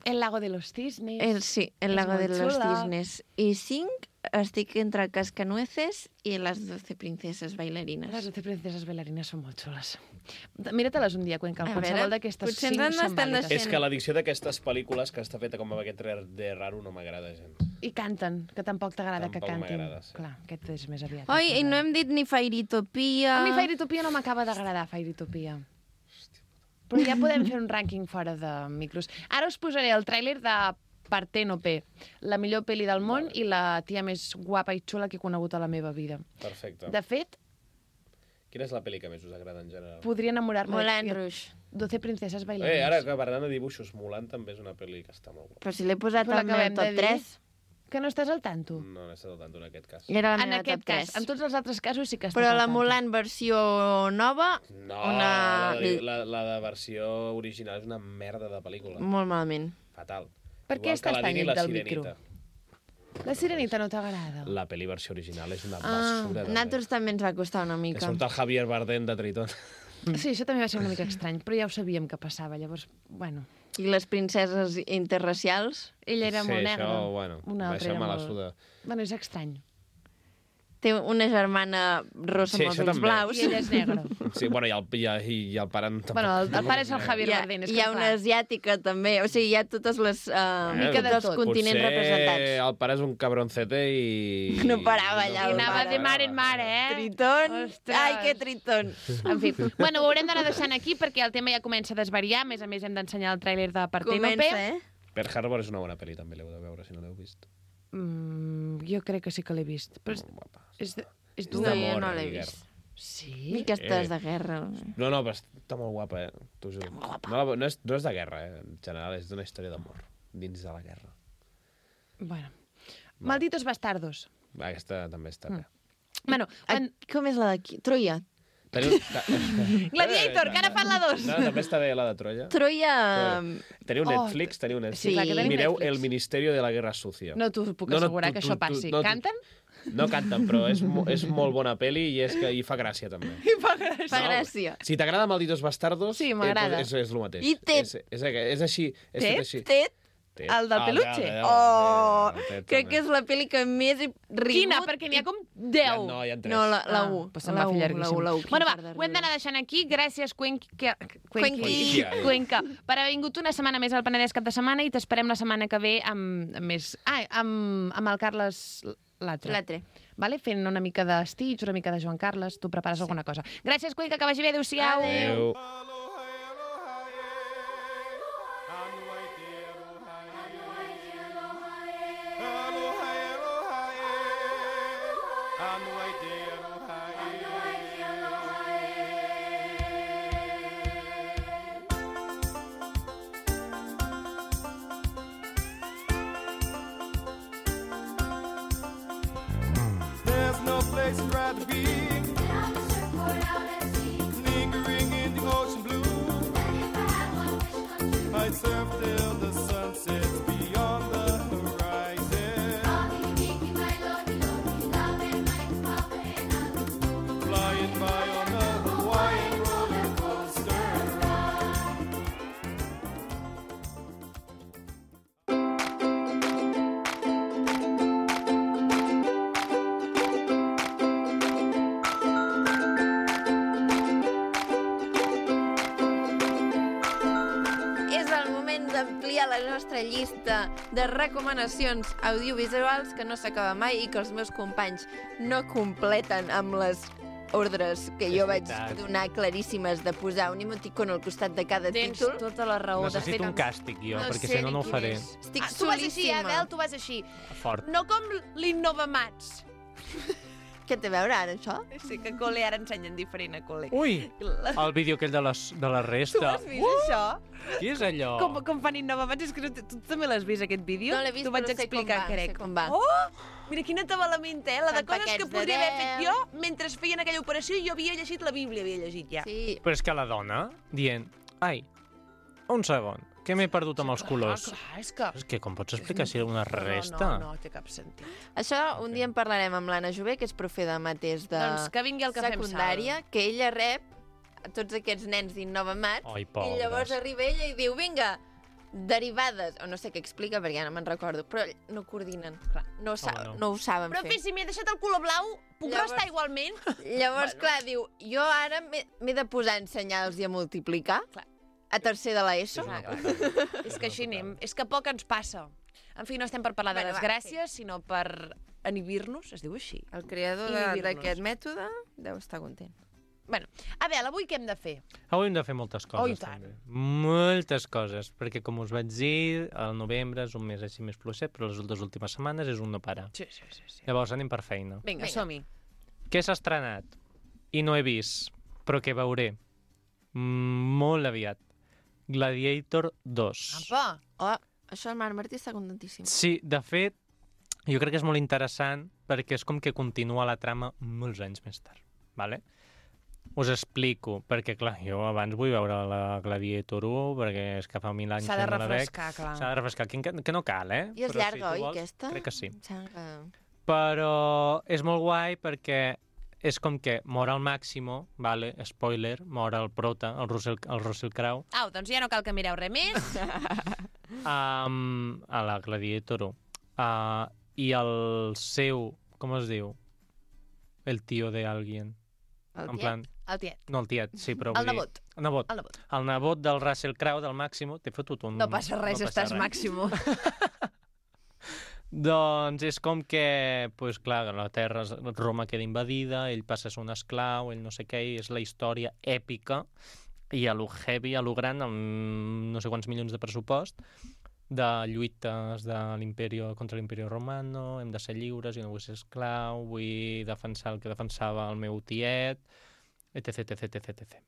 El lago de los cisnes. el, sí, El És lago de molt los xula. cisnes. I cinc, estic entre Cascanueces i les doce princeses bailarines. Les doce princeses bailarines són molt xules. Mira-te-les un dia, Cuenca, A qualsevol veure, d'aquestes potser cinc ens són estan vàlides. deixant- És que l'edició d'aquestes pel·lícules que està feta com amb aquest de raro no m'agrada gens. I canten, que tampoc t'agrada que Tampoc cantin. m'agrada, sí. Clar, aquest és més aviat. Oi, i no hem dit ni Fairytopia. A mi Fairytopia no m'acaba d'agradar, Fairytopia. Però ja podem fer un rànquing fora de micros. Ara us posaré el tràiler de Parténope, la millor pel·li del món i la tia més guapa i xula que he conegut a la meva vida. Perfecte. De fet, Quina és la pel·li que més us agrada en general? podria enamorar-me Moulin de Rouge. doce princeses bailarines. Eh, ara que parlant de dibuixos, Mulan també és una pel·li que està molt guapa. Però si l'he posat Però al meu l'acabem de top dir. tres. Que no estàs al tanto. No n'he estat al tanto en aquest cas. Era la En meva aquest top tres. cas. En tots els altres casos sí que estàs Però al la tanto. Mulan versió nova, No, Una- la, de, la, la de versió original és una merda de pel·lícula. molt malament. Fatal. Per què Igual que estàs la tan Dini i lluny la del micro? Sirenita. La Sirenita no t'agrada? La pel·li versió original és una Ah, basura. A també. nosaltres també ens va costar una Que mica. surt el Javier Bardem de Tritón. Sí, això també va ser una mica estrany, però ja ho sabíem que passava, llavors, bueno... I les princeses interracials. Ella era sí, molt negra, això, bueno, una altra això era me la molt... suda. Bueno, és estrany. Té una germana rossa Sí, amb els això ulls també. blaus. I ella és negra. Sí, bueno, i el, i, i, i el pare... Tampoc, Bueno, el, el pare és el Javier Hi ha, Bardem. És hi que, ha una clar, asiàtica també. O sigui, hi ha totes les, uh, mica de tots els tot. continents Potser representats. el pare és un cabroncete i... No parava allà, I el anava pare. de mar en mar, eh? Tritón. Ostres. Ai, que tritón. En fi, bueno, ho haurem d'anar deixant aquí perquè el tema ja comença a desvariar. A més a més, hem d'ensenyar el tràiler de Parténope. Comença, eh? Pearl Harbor és una bona pel·li, també l'heu de veure, si no l'heu vist. Mm, jo crec que sí que l'he vist. Però és, Molt guapa. és, de- és És dur. No, jo d'amor no i l'he guerra. vist. Sí? I aquestes Eh. de guerra. No, no, però està molt guapa, eh? T'ho juro. No, la- no, és, no és de guerra, eh? En general, és d'una història d'amor, dins de la guerra. Bueno. Malditos bastardos. Aquesta també està bé. Bueno, Ah, en... com és la d'aquí? Troia. Teniu... Gladiator, que ara fan la dos. No, també està bé la de Troia. Troia... Teniu Oh, Netflix, teniu Netflix. sí, clar que tenim Mireu Netflix. El Ministerio de la Guerra Sucia. No t'ho puc No, no, assegurar tu- que tu- això tu- passi. no, tu- Canten? No canten, però és, mo- és molt bona pel·li i, és que, i fa gràcia, també. I fa gràcia. Fa gràcia. Si t'agrada Malditos Bastardos, Sí, m'agrada. eh, És, és el mateix. I Ted. És, és, és així. És Ted? tot així. Ted. Ted. El del Ah, peluche? el de- Oh, el Ted crec també. que és la pel·li que més he rigut. Quina? Perquè n'hi ha com deu. No, hi ha tres. No, la, la Ah, U. pues se'm la va fer U, llarguíssim. La U, la U. Bueno, va, Quin fart de ho hem d'anar riure. deixant aquí. Gràcies, Cuenqui, Cuenqui. Cuenqui, Cuenca, per haver vingut una setmana més al Penedès cap de setmana i t'esperem la setmana que ve amb, amb més... Ah, amb, amb el Carles l'altre. L'altre. Vale? Fent una mica de Stitch, una mica de Joan Carles. Tu prepares sí. alguna cosa. Gràcies, Cuenca, que vagi bé. Adéu-siau. Adéu. There's no place I'd rather be. Lingering in the ocean blue. I'd surf till the sun sets beyond the horizon. Flying by on a Hawaiian roller coaster ride. hi ha la nostra llista de recomanacions audiovisuals que no s'acaba mai i que els meus companys no completen amb les ordres que jo vaig veritat. donar claríssimes de posar un emoticon al costat de cada Tens títol. tota la raó. De Necessito fet, un càstig, jo, No perquè sé si no, ni no ho quin faré. és. Estic Ah, tu vas així, eh, solíssima. Bel? Tu vas així. Fort. No com l'Innovamats. Què té a veure ara, això? Sí, que a col·le ara ensenyen diferent a col·le. Ui, el vídeo aquell de, les, de la Tu resta. has vist això? Qui és allò? Com, com fan Innovamats? És que no, tu també l'has vist, aquest vídeo? No l'he vist, T'ho vaig però sé com explicar, va, crec. sé com va. Oh! Mira quina tabalamenta, eh? La de Fan coses que paquets de podria haver fet deu. jo mentre feien aquella operació i jo havia llegit la Bíblia, havia llegit ja. Sí. Però és que la dona, dient, ai, un segon, que m'he perdut amb els colors. Clar, clar, és que... És que com pots explicar si una resta? No, no, no té cap sentit. Això un dia en parlarem amb l'Anna Jové, que és profe de mateix de Doncs que vingui el cafè amb sal. secundària, que ella rep a tots aquests nens d'Innovamats Ai, i pobres. llavors arriba ella i diu, vinga, derivades, o no sé què explica perquè ja no me'n recordo, però no coordinen, clar, no, ho sa Home, no. no. ho saben Però, fer. fi, si m'he deixat el color blau, puc Llavors- restar igualment? Llavors, clar, diu, jo ara m'he m'he de posar a ensenyar-los i a multiplicar Clar. a tercer de l'ESO. Clar, clar. És que així anem. És que poc ens passa. En fi, no estem per parlar de Bueno, va, desgràcies, sinó per inhibir-nos, es diu així. El creador I de- dir-nos. d'aquest mètode deu estar content. Bueno, a veure, avui què hem de fer? Avui hem de fer moltes coses, Oh, i tant. també. Moltes coses, perquè com us vaig dir, el novembre és un mes així més fluixet, però les dues últimes setmanes és un no parar. Sí, sí, sí. sí. Llavors anem per feina. Vinga, Vinga. som-hi. Què s'ha estrenat? I no he vist, però que veuré mm, molt aviat. Gladiator dos. Apa! Oh, això el Marc Martí està contentíssim. Sí, de fet, jo crec que és molt interessant perquè és com que continua la trama molts anys més tard, vale? Us explico, perquè clar, jo abans vull veure la Gladiator u, perquè és que fa mil anys S'ha de que no la veig. refrescar, clar. S'ha de refrescar, que, que no cal, eh? I és Però llarga, tu oi, vols, aquesta? Crec que sí. Em sembla que... Però és molt guai perquè és com que mor al Máximo, vale? Spoiler, mor el prota, el Russell, el Russell Crowe, Au, doncs ja no cal que mireu res més. um, a la Gladiator u. Uh, I el seu, com es diu? El tio de alguien. El En tiet? plan, El tiet. no el tiet, sí, però El vull nebot. dir... El nebot. El nebot. El nebot del Russell Crowe, del Máximo, t'he fotut un... No passa res, no passa estàs res. màximo. Doncs és com que, pues, clar, la terra, Roma queda invadida, ell passa a ser un esclau, ell no sé què, i és la història èpica i a lo heavy, a lo gran, amb no sé quants milions de pressupost, de lluites de l'imperi contra l'imperi romano, hem de ser lliures, jo no vull ser esclau, vull defensar el que defensava el meu tiet, etc, etc, etc, etcètera.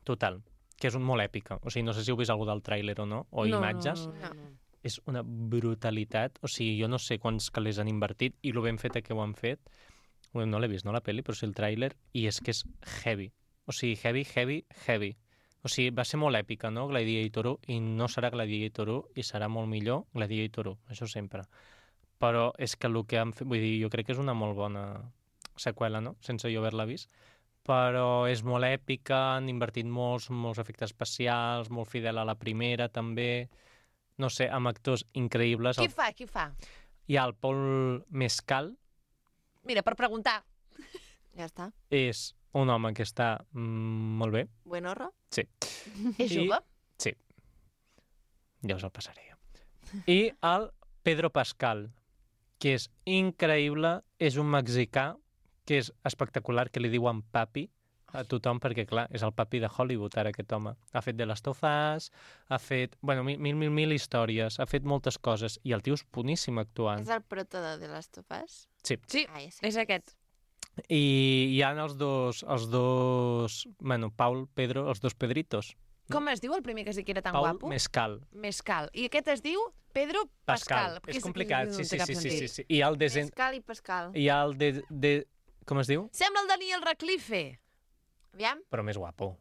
Total, que és un molt èpica. O sigui, no sé si heu vist alguna del tràiler o no, o No, imatges. no, no, no. És una brutalitat. O sigui, jo no sé quants calés han invertit i lo ben feta que ho han fet. Bueno, no l'he vist, no, la pel·li, però sí el tràiler, i és que és heavy. O sigui, heavy, heavy, heavy. O sigui, va ser molt èpica, no?, Gladiator u, i no serà Gladiator u, i serà molt millor Gladiator u, això sempre. Però és que el que han fet... Vull dir, jo crec que és una molt bona seqüela, no?, sense jo haver-la vist. Però és molt èpica, han invertit molts, molts efectes especials, molt fidel a la primera, també. No sé, amb actors increïbles. Qui fa, qui fa? Hi ha el Paul Mescal, Mira, per preguntar. Ja està. és un home que està mm, molt bé. Buen horro? Sí. És I- jove? Sí. Ja us el passaré jo. I el Pedro Pascal, que és increïble, és un mexicà que és espectacular, que li diuen papi a tothom, perquè, clar, és el papi de Hollywood, ara, aquest home. Ha fet The Last of Us, ha fet, bueno, mil, mil, mil, mil històries, ha fet moltes coses, i el tio és boníssim actuant. És el prota de The Last of Us? Sí. Sí, Ah, ja sé. és aquest. I hi ha els dos, els dos, bueno, Paul, Pedro, els dos Pedritos. Com es diu el primer que es diu que era tan Paul guapo? Mescal. Mescal. I aquest es diu Pedro Pascal. És complicat, no sí, té sí, cap sí, sí, sentit. sí, sí. I el de... Pascal i Pascal. Hi ha el de, de... Com es diu? Sembla el Daniel Radcliffe. Aviam. Però més guapo.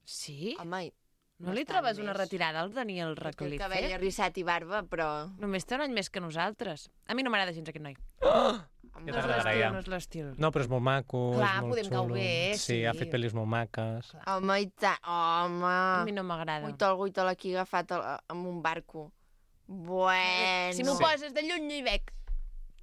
Sí? Home, No li bastant trobes una més. retirada al Daniel té el cabell Radcliffe? arrissat i barba, però... Només té un any més que nosaltres. A mi no m'agrada gens aquest noi. Ja No és t'agradarà, l'estil, ja. no és l'estil. No, però és molt maco, Clar, és molt podem xulo. cau bé, sí. sí. ha fet pel·lis molt maques. Home, i tant. Home. A mi no m'agrada. Guitol, guitol aquí agafat al- amb un barco. Bueno. Si m'ho Sí. poses de lluny no hi veig.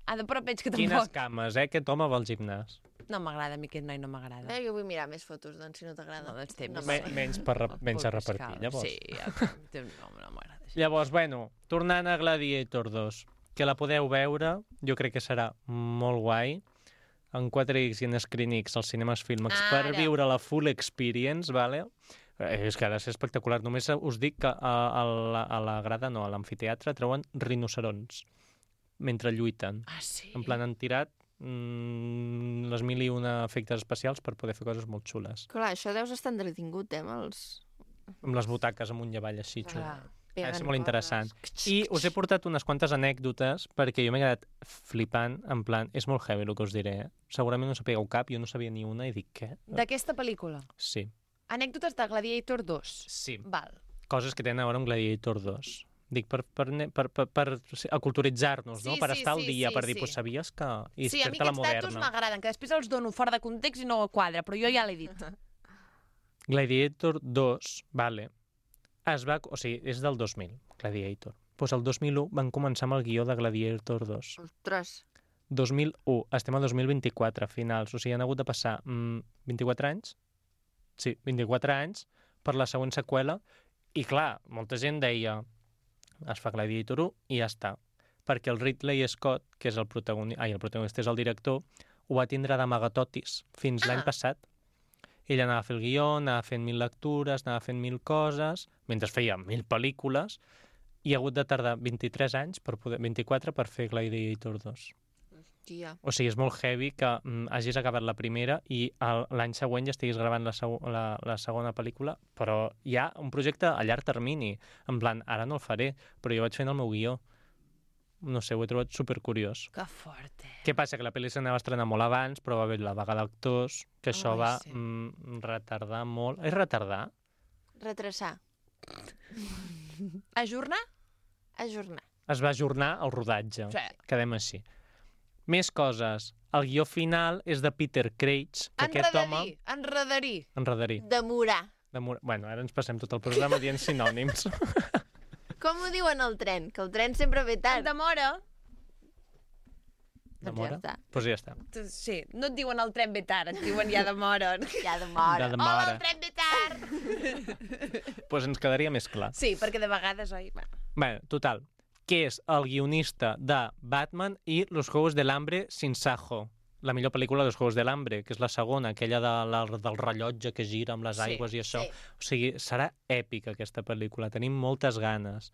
Ah, de prop veig que Quines tampoc. cames, eh? Aquest home va al gimnàs. No m'agrada, a mi aquest noi no m'agrada. Eh, jo vull mirar més fotos, doncs, si no t'agrada. No, doncs té No més. Me, m'agrada. menys per, re- menys a Paul repartir, Pascal. llavors. Sí, ja, no, no m'agrada això. Llavors, bueno, tornant a Gladiator dos, que la podeu veure, jo crec que serà molt guai, en quatre X i en Screen X, als cinemes Filmax, per Ara. viure la full experience, vale? Eh, és que ha de ser espectacular. Només us dic que a, a, la, a la grada, no, a l'amfiteatre, treuen rinocerons mentre lluiten. Ah, sí? En plan, han tirat mm, les mil i una efectes especials per poder fer coses molt xules. Clar, això deus estar entretingut, eh, amb els... Amb les butaques amunt i avall, així, xulo. Ah. Ha de ser pegant molt coses. interessant. I us he portat unes quantes anècdotes perquè jo m'he quedat flipant, en plan, és molt heavy el que us diré, eh? Segurament no sapigueu cap, jo no sabia ni una i dic, què? D'aquesta pel·lícula. Sí, Anècdotes de Gladiator dos. sí. Val. Coses que tenen a veure amb Gladiator dos. Dic, per, per, ne- per, per, per aculturitzar-nos, no? Sí, Per sí, estar al sí, dia, sí, per dir, sí. pues sabies que... I Sí, a mi fer-te la aquests datos moderna. m'agraden, que després els dono fora de context i no quadra, però jo ja l'he dit. Gladiator dos, vale, es va... O sigui, és del dos mil, Gladiator. Doncs pues el dos mil u van començar amb el guió de Gladiator dos. Ostres. dos mil u, estem a dos mil vint-i-quatre, finals. O sigui, han hagut de passar mm, vint-i-quatre anys? Sí, vint-i-quatre anys per la següent seqüela. I clar, molta gent deia es fa Gladiator u i ja està. Perquè el Ridley Scott, que és el protagonista, ai, el protagonista és el director, ho va tindre d'amagatotis fins l'any passat. Ell anava a fer el guió, anava fent mil lectures, anava fent mil coses, mentre feia mil pel·lícules, i ha hagut de tardar vint-i-tres anys, per poder, vint-i-quatre, per fer Gladiator dos. Tia. O sigui, és molt heavy que mm, hagis acabat la primera i el- l'any següent ja estiguis gravant la, seg la, la segona pel·lícula, però hi ha un projecte a llarg termini. En plan, ara no el faré, però jo vaig fent el meu guió. No sé, ho he trobat supercuriós. Que fort, eh? Què passa? Que la pel·li s'anava a estrenar molt abans, però va haver la vaga d'actors, que això Ai, va sí. mm, retardar molt. És retardar? Retrasar. Ajornar? Ajornar. Es va ajornar el rodatge. Sí. Quedem així. Més coses. El guió final és de Peter Craig, que aquest home... Enredarí, enredarí. Enredarí. Demorar. Demora... Bueno, ara ens passem tot el programa dient sinònims. Com ho diuen al tren? Que el tren sempre ve En tard. demora. Doncs Demora? ja està. Doncs pues ja està. Sí, no et diuen el tren ve tard, et diuen ja demora. Ja demora. De Hola, demora. el tren ve tard! Doncs pues ens quedaria més clar. Sí, perquè de vegades, oi... Bueno. Bé, total. Que és el guionista de Batman i Los Juegos del Hambre sin Sajo. La millor pel·lícula dels Juegos del Hambre, que és la segona, aquella de la, del rellotge que gira amb les Sí, aigües i això. sí. O sigui, serà èpica aquesta pel·lícula. Tenim moltes ganes.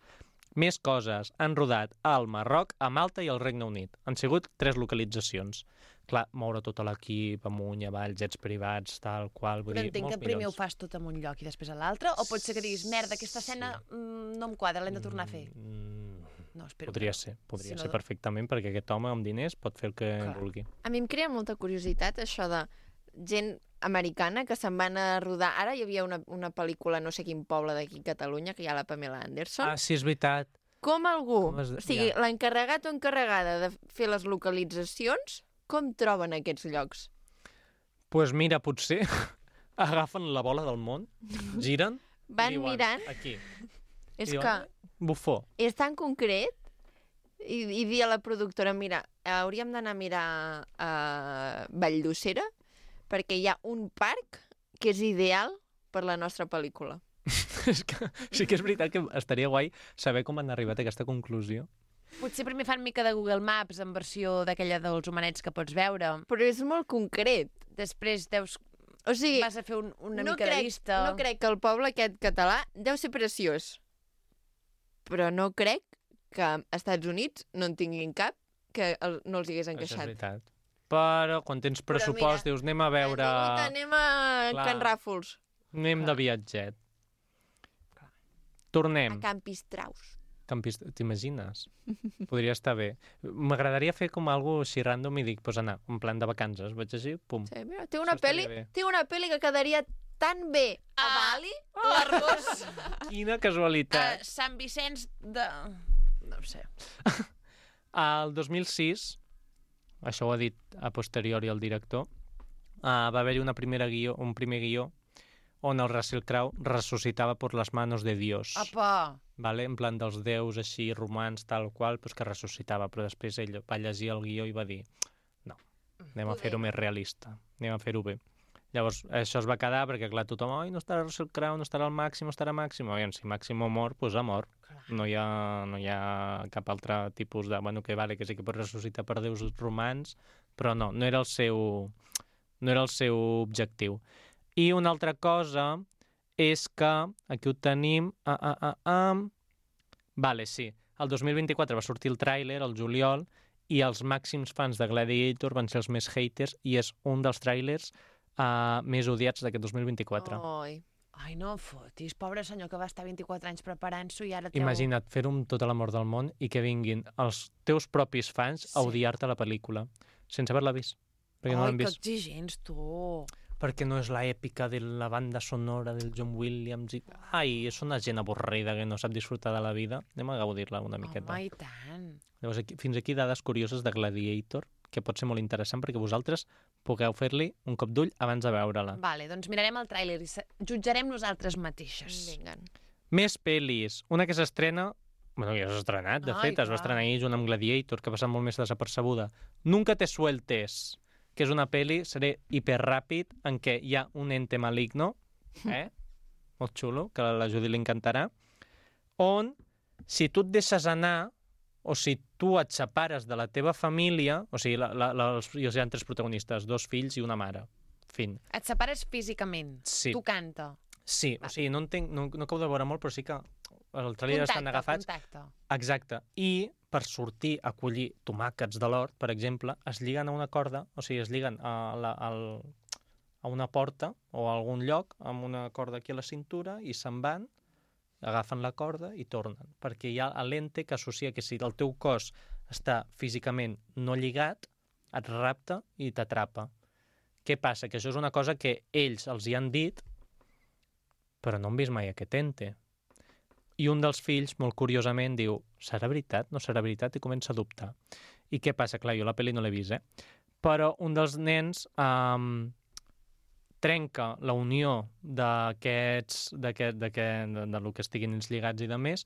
Més coses. Han rodat al Marroc, a Malta i al Regne Unit. Han sigut tres localitzacions. Clar, moure tot l'equip amunt i avall, jets privats, tal qual. Vull Però dir, entenc que molts primer ho milions. fas tot en un lloc i després a l'altre, o pot ser que diguis, merda, aquesta escena mm, no em quadra, l'hem de tornar a fer. Mm, No, espero podria que no. ser, podria Si no, ser perfectament, perquè aquest home amb diners pot fer el que Clar. vulgui. A mi em crea molta curiositat això de gent americana que se'n van a rodar... Ara hi havia una, una pel·lícula, no sé quin poble d'aquí a Catalunya, que hi ha la Pamela Anderson. Ah, sí, és veritat. Com algú, Com es- o sigui, ja. l'encarregat o encarregada de fer les localitzacions, com troben aquests llocs? Doncs pues mira, potser agafen la bola del món, giren... i Van diuen, mirant, Aquí. és I diuen, que Bufó. és tan concret i, i dir a la productora, mira, hauríem d'anar a mirar a Valldosera perquè hi ha un parc que és ideal per la nostra pel·lícula. És que sí que és veritat que estaria guai saber com han arribat a aquesta conclusió. Potser primer fan mica de Google Maps en versió d'aquella dels homenets que pots veure. Però és molt concret. Després deus... O sigui, Vas a fer un, una no mica crec, de llista. no crec que el poble aquest català deu ser preciós. Però no crec que als Estats Units no en tinguin cap que el, no els hi hagués Això és encaixat. veritat. Però quan tens pressupost mira, dius anem a veure... Hem vingut, anem a Clar. Can Ràfols, Anem de viatget. a Tornem. Can Pistraus. Campis... T'imagines? Podria estar bé. M'agradaria fer com algo així random i dic, pues anar, en plan de vacances. Vaig així, pum. Sí, mira, té una Això estaria pel·li, bé. té una pel·li que quedaria tan bé a Ah. Bali. L'Arbós. Quina uh, casualitat. Sant Vicenç de... No ho sé. Al dos mil sis, això ho ha dit a posteriori el director, uh, va haver-hi una primera guió, un primer guió on el Russell Crowe ressuscitava per les manos de Dios. Apa! Vale? En plan dels déus així romans, tal qual, pues que ressuscitava. Però després ell va llegir el guió i va dir no, anem a Poder. fer-ho més realista, anem a fer-ho bé. Llavors, això es va quedar perquè, clar, tothom, oi, no estarà Russell Crowe, no estarà el Màximo, estarà Màximo. Aviam, si Màximo mor, doncs ha mort. No hi, ha, no hi ha cap altre tipus de... Bueno, que vale, que sí que pot ressuscitar per déus romans, però no, no era el seu, no era el seu objectiu. I una altra cosa és que, aquí ho tenim... Ah, ah, ah, ah. Vale, sí. El dos mil vint-i-quatre va sortir el tràiler, el juliol, i els màxims fans de Gladiator van ser els més haters i és un dels tràilers uh, més odiats d'aquest dos mil vint-i-quatre. Oi. Ai, no fotis, pobre senyor que va estar vint-i-quatre anys preparant-s'ho i ara treu... Imagina't fer-ho amb tot l'amor del món i que vinguin els teus propis fans a Sí. odiar-te la pel·lícula, sense haver-la vist. Perquè no Ai, l'han que vist. exigents, tu. Perquè no és la èpica de la banda sonora del John Williams. I... Ai, és una gent avorrida que no sap disfrutar de la vida. Anem a gaudir-la una miqueta. Home, i tant. Llavors, aquí, fins aquí dades curioses de Gladiator, que pot ser molt interessant perquè vosaltres pugueu fer-li un cop d'ull abans de veure-la. Vale, doncs mirarem el tràiler i se- jutjarem nosaltres mateixes. Vinga. Més pel·lis. Una que s'estrena... Bueno, ja s'ha estrenat, de Ai, fet, es va clar. estrenar ahir junt amb Gladiator, que ha passat molt més desapercebuda. Nunca te sueltes, que és una pel·li, seré hiperràpid, en què hi ha un ente maligno, eh? Molt xulo, que a la Judy li encantarà, on, si tu et deixes anar, o si tu et separes de la teva família, o sigui, la, la, la, els, hi ha tres protagonistes, dos fills i una mare. Fin. Et separes físicament. Sí. Tu canta. Sí, o sigui, no, entenc, no, no acabo de veure molt, però sí que el tràiler estan agafats. Contacte. Exacte. I per sortir a collir tomàquets de l'hort, per exemple, es lliguen a una corda, o sigui, es lliguen a, la, al, a una porta o a algun lloc amb una corda aquí a la cintura i se'n van, agafen la corda i tornen. Perquè hi ha l'ente que associa que si el teu cos està físicament no lligat, et rapta i t'atrapa. Què passa? Que això és una cosa que ells els hi han dit, però no han vist mai aquest ente. I un dels fills, molt curiosament, diu serà veritat? No serà veritat? I comença a dubtar. I què passa? Clar, jo la pel·li no l'he vist, eh? Però un dels nens um, trenca la unió d'aquests, d'aquest, d'aquest, de, de lo que estiguin ells lligats i de més,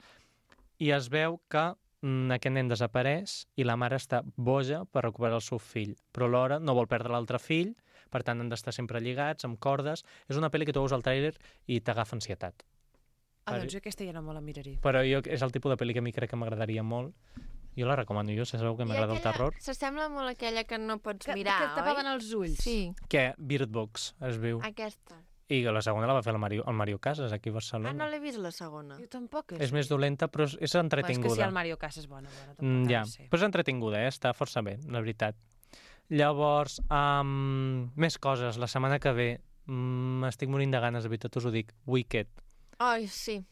i es veu que mm, aquest nen desapareix i la mare està boja per recuperar el seu fill. Però alhora no vol perdre l'altre fill, per tant han d'estar sempre lligats, amb cordes. És una pel·li que tu veus al tràiler i t'agafa ansietat. Ah, doncs jo aquesta ja no me la miraré. Però jo, és el tipus de pel·li que a mi crec que m'agradaria molt. Jo la recomano, jo, si sabeu que m'agrada el terror. S'assembla molt a aquella que no pots Que, mirar, que et tapaven oi? els ulls. Sí, Que Bird Box es viu. aquesta. I la segona la va fer el Mario, el Mario Casas, aquí a Ah, Barcelona. no l'he vist, la segona. Jo tampoc. És més dolenta, però és, és Però és que entretinguda. si el Mario Casas és bona, bona tampoc Mm, ha de ja, ser. però és entretinguda, eh? Està força bé, la veritat. Llavors, um, més coses. La setmana que ve m'estic morint de ganes, de veritat us ho dic. Wicked. Ai, sí.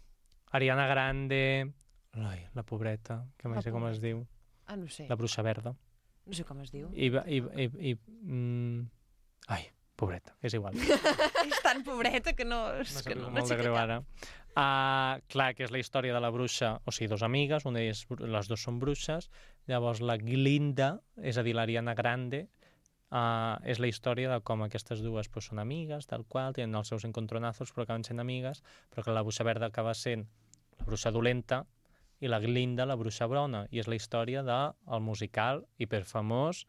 Ariana Grande... Ai, la pobreta, que mai La sé com es pobreta. diu. Ah, no sé. La bruixa verda. No sé com es diu. I, va- i, i, i mm, ai, pobreta, és igual. És tan pobreta que no... És M'ha que sabut no, molt no sé de què greu tal. ara. Uh, clar, que és la història de la bruixa, o sigui, dos amigues, una d'elles, les dues són bruixes, llavors la Glinda, és a dir, l'Ariana Grande, uh, és la història de com aquestes dues pues, són amigues, tal qual, tenen els seus encontronazos, però acaben sent amigues, però que la bruixa verda acaba sent la bruixa dolenta i la Glinda, la bruixa brona, i és la història del musical hiperfamós,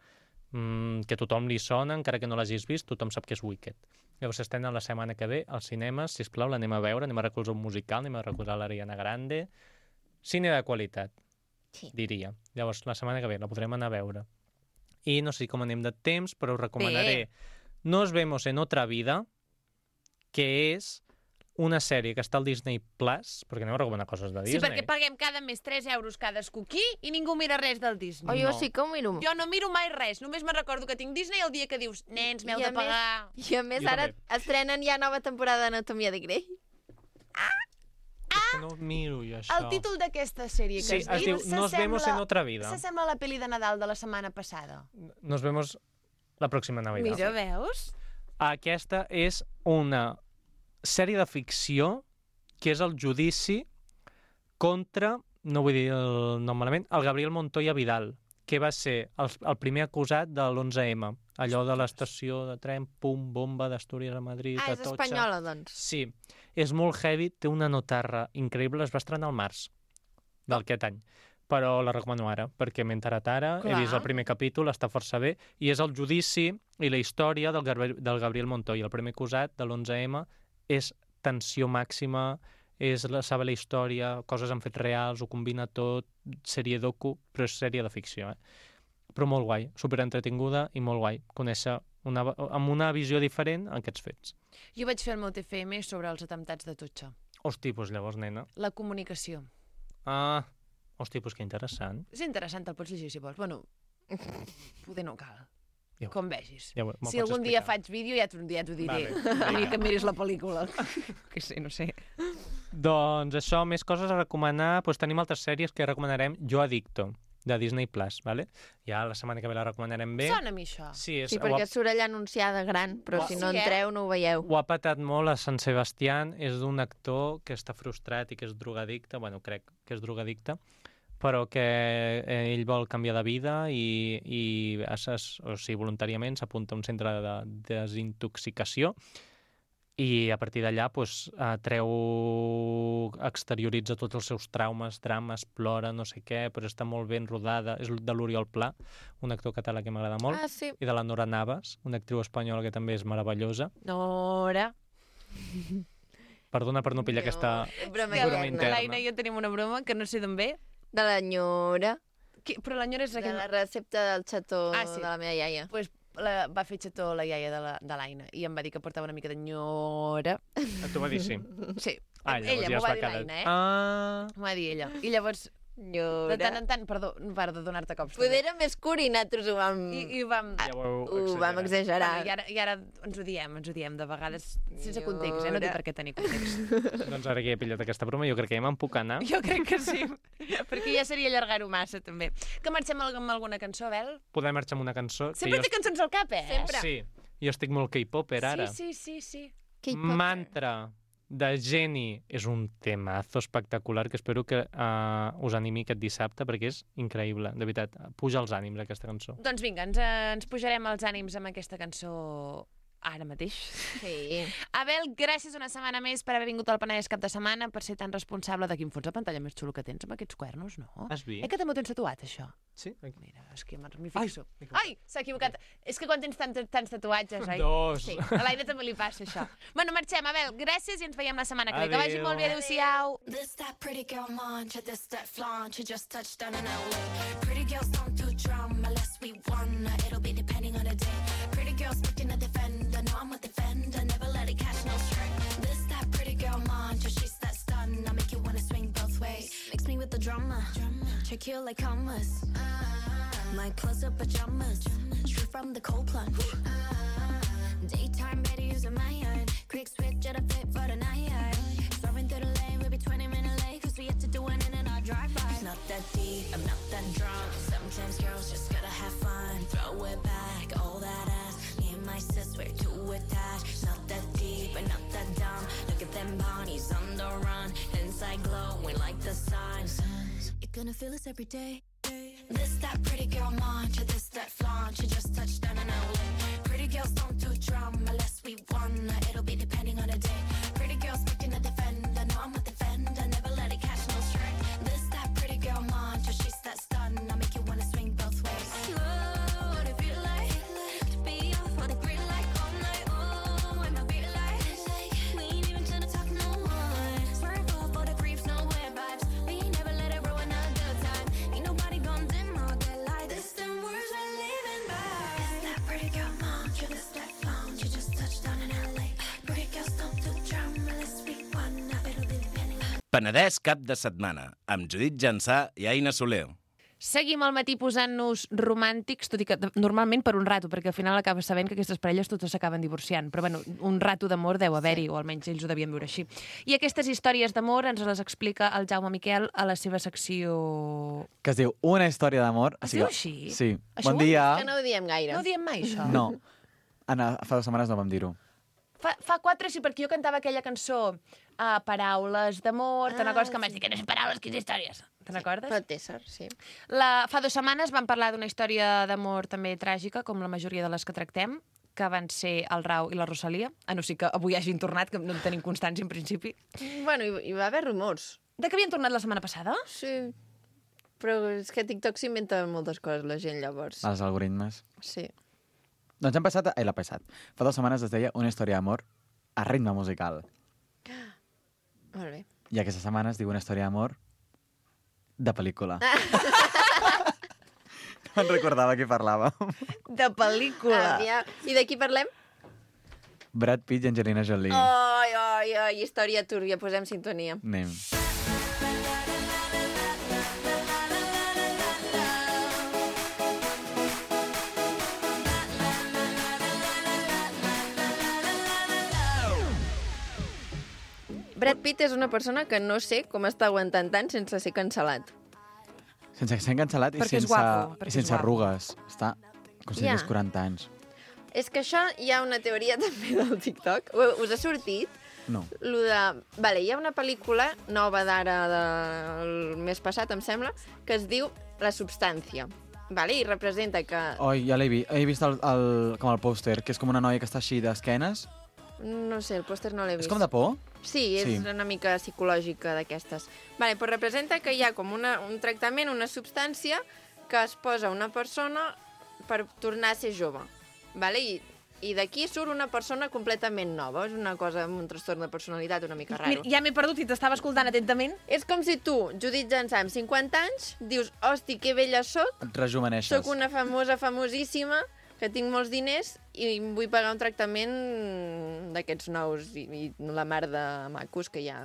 mm, que tothom li sona, encara que no l'hagis vist, tothom sap que és Wicked. Llavors s'estrena la setmana que ve als cinemes, sisplau, l'anem a veure, anem a recolzar un musical, anem a recolzar l'Ariana Grande. Cine de qualitat, Sí. diria. Llavors, la setmana que ve la podrem anar a veure. I no sé com anem de temps, però us recomanaré Nos vemos en otra vida, que és una sèrie que està al Disney Plus, perquè aneu a recomanar coses de Sí, Disney. perquè paguem cada mes tres euros cadascú aquí i ningú mira res del Disney. O jo No. sí que ho miro. Jo no miro mai res, només me'n recordo que tinc Disney el dia que dius, nens, m'heu I a de pagar... I a més, Jo ara també. estrenen ja nova temporada d'Anatomia de Grey. És que no miro jo això. El títol d'aquesta sèrie que Sí, has es dit diu Nos vemos en otra vida. s'assembla a la pel·li de Nadal de la setmana passada. Nos vemos la pròxima Navidad. Mira, veus? Aquesta és una sèrie de ficció que és el judici contra, no vull dir el nom malament, el Gabriel Montoya Vidal, que va ser el, el primer acusat de l'onze eme, allò de l'estació de tren, pum, bomba d'Astúries a Madrid, Ah, és Atocha. espanyola, doncs. Sí, és molt heavy, té una notarra increïble, es va estrenar al març d'aquest any. però la recomano ara, perquè m'he enterat ara, Clar. he vist el primer capítol, està força bé, i és el judici i la història del, Gabriel, del Gabriel Montoya, el primer acusat de l'onze eme, és tensió màxima, és la, saber la història, coses en fets reals, ho combina tot, sèrie docu, però és sèrie de ficció, eh? Però molt guai, superentretinguda i molt guai, conèixer una, amb una visió diferent aquests fets. Jo vaig fer el meu T F M sobre els atemptats de Tutxa. Hosti, doncs llavors, nena. La comunicació. Ah, hosti, doncs que interessant. És interessant, el pots llegir si vols. Bueno, poder no cal. Ja ho- Com vegis. Ja ho- me'l Si pots algun dia explicar. faig vídeo ja t'ho ja t'ho diré. Vale, Ni que miris la pel·lícula. Que sé, no sé. Doncs això, més coses a recomanar. Doncs tenim altres sèries que recomanarem. Jo Adicto, de Disney Plus, ¿vale? Ja la setmana que ve la recomanarem bé. Sona a mi això. Sí, és, Sí, ho, perquè ha, surt allà anunciada gran, però Oh, si sí, no eh? entreu no ho veieu. ho ha patat molt a Sant Sebastián. És d'un actor que està frustrat i que és drogadicte. Bueno, crec que és drogadicte, però que eh, ell vol canviar de vida i, i es, es, o sigui, voluntàriament s'apunta a un centre de desintoxicació i a partir d'allà pues, eh, treu, exterioritza tots els seus traumes, drames, plora, no sé què, però està molt ben rodada. És de l'Oriol Pla, un actor català que m'agrada molt, Ah, sí. i de la Nora Navas, una actriu espanyola que també és meravellosa. Nora. Perdona per no pillar No, aquesta... broma broma interna. interna. L'Aina i jo tenim una broma que no sé d'on ve. De l'enyora, Que, però l'enyora és de aquell... la recepta del xató Ah, sí. de la meva iaia. Pues, la, va fer xató la iaia de la- de l'Aina i em va dir que portava una mica d'enyora. T'ho va dir, sí. Sí, Ah, llavors ella ja m'ho es va va dir quedar... l'Aina, eh? Ah, M'ho va dir ella. I llavors, de Nyora. tant en tant, perdó, perdó de donar-te cops. Poder també. era més curt i nosaltres ho vam, I, i vam... ja ho heu ho vam exagerat. exagerar. Bueno, i, ara, I ara ens ho diem, ens ho diem de vegades sense context, eh? No té Nyora. per què tenir context. Doncs ara que he pillat aquesta broma, jo crec que ja me'n puc anar. Jo crec que sí, perquè ja seria allargar-ho massa, també. Que marxem amb alguna cançó, Bel? Podem marxar amb una cançó. Sempre que té cançons al cap, eh? Sempre. Sí, jo estic molt K-popper ara. Sí, sí, sí, sí. K-popper. Mantra de Jenny és un temazo espectacular que espero que uh, us animi aquest dissabte perquè és increïble, de veritat. Puja els ànims aquesta cançó. Doncs vinga, ens, eh, ens pujarem els ànims amb aquesta cançó ara mateix. Sí. Abel, gràcies una setmana més per haver vingut al Penedès cap de setmana, per ser tan responsable de quin fons de pantalla més xulo que tens amb aquests cuernos, no? Has vist? Eh que també ho tens tatuat, això? Sí? Aquí. Mira, és que m'hi fixo. m'he equivocat. Ai, s'ha equivocat. És que quan tens tant, tants tatuatges, oi? Dos. Sí, a l'Aina també li passa això. Bueno, marxem, Abel, gràcies i ens veiem la setmana que ve. Que vagi Adéu. molt bé, adéu-siau. This that pretty girl mantra, this that flaunt. You just touched down in L A. Pretty girls don't do drama unless we wanna. It'll be depending on the day. Pretty girls looking to defend. I know I'm a defender, never let it catch no string. This that pretty girl mantra, she's that stun. I make you wanna swing both ways. Mix me with the drama, check you like commas. My clothes up pajamas, straight from the cold plunge. Daytime better using my iron. Quick switch at a fit for the night. Swerving through the lane, we'll be twenty minutes late. Cause we have to do it in and out drive-by. Not that deep, I'm not that drunk. Sometimes girls just gotta have fun. Throw it back, all that ass. Me and my sis, we're too attached. Not that deep, and not that dumb. Look at them bodies on the run. Inside glowing like the sun. You're gonna feel this every day. This that pretty girl mantra, this that flaunt. You just touched down in L A. Pretty girls don't do drama unless we wanna. It'll be depending on the day. Pretty girls looking to defend. I know I'm a defender, never let it catch no string. This that pretty girl mantra, she's that stun. I make you wanna swing both ways. Oh, what it feel like to be off on a green light all night. Oh, and I feel like we ain't even trying to talk no one. Swerve off all the creeps, no weird vibes. We ain't never let it ruin a good time. Ain't nobody gonna dim all that light. This them words we're living by. This that pretty girl mantra, this that flaunt. You just touched down in L A. Pretty girls don't do drama unless we wanna. It'll be depending on Penedès cap de setmana, amb Judit Jansà i Aina Soler. Seguim al matí posant-nos romàntics, tot i que de- normalment per un rato, perquè al final acabes sabent que aquestes parelles totes s'acaben divorciant. Però bueno, un rato d'amor deu haver-hi, o almenys ells ho devien veure així. I aquestes històries d'amor ens les explica el Jaume Miquel a la seva secció... Que es diu Una història d'amor. Es O sigui, diu així? Sí. Això Bon ho- dia. Que no ho diem gaire. No ho diem mai, això? No. Anna, fa dues setmanes no vam dir-ho. Fa, fa quatre sí, perquè jo cantava aquella cançó uh, Paraules d'amor, te'n Ah, recordes que em vas dir que no sé paraules, que és històries. Te'n recordes? Però té sort, sí. La, fa dues setmanes vam parlar d'una història d'amor també tràgica, com la majoria de les que tractem, que van ser el Rau i la Rosalia, a no ser que avui hagin tornat, que no en tenim constància en principi. Bueno, hi, hi va haver rumors. De que havien tornat la setmana passada? Sí. Però és que a TikTok s'inventa moltes coses la gent, llavors. Els algoritmes. Sí. Doncs hem passat... Ai, l'ha passat. Fa dues setmanes es deia Una història d'amor a ritme musical. Molt bé. I aquesta setmana es diu Una història d'amor de pel·lícula. No em recordava qui parlava. De pel·lícula. Aviam. I de qui parlem? Brad Pitt i Angelina Jolie. Ai, ai, ai, història túrbia. Posem sintonia. Anem. Brad Pitt és una persona que no sé com està aguantant tant sense ser cancel·lat. Sense ser cancel·lat i Perquè és sense, guapo, i perquè és sense guapo. arrugues. Està com si Ja. tingués quaranta anys. És que això hi ha una teoria també del TikTok. U- Us ha sortit? No. Lo de... Vale, hi ha una pel·lícula nova d'ara del mes passat, em sembla, que es diu La substància. Vale? I representa que... Oi, ja l'he vist. He vist el, el, com el pòster, que és com una noia que està així d'esquenes. No sé, el pòster no l'he vist. És com de por? Sí, és Sí. una mica psicològica d'aquestes. Vale, però representa que hi ha com una, un tractament, una substància que es posa a una persona per tornar a ser jove. Vale? I, i d'aquí surt una persona completament nova. És una cosa amb un trastorn de personalitat una mica raro. Mira, ja m'he perdut i t'estava escoltant atentament. És com si tu, Judit Jansà, amb cinquanta anys, dius, hosti, que vella soc, Et rejuveneixes. sóc una famosa, famosíssima, que tinc molts diners i em vull pagar un tractament d'aquests nous i, i la mar de macos que hi ha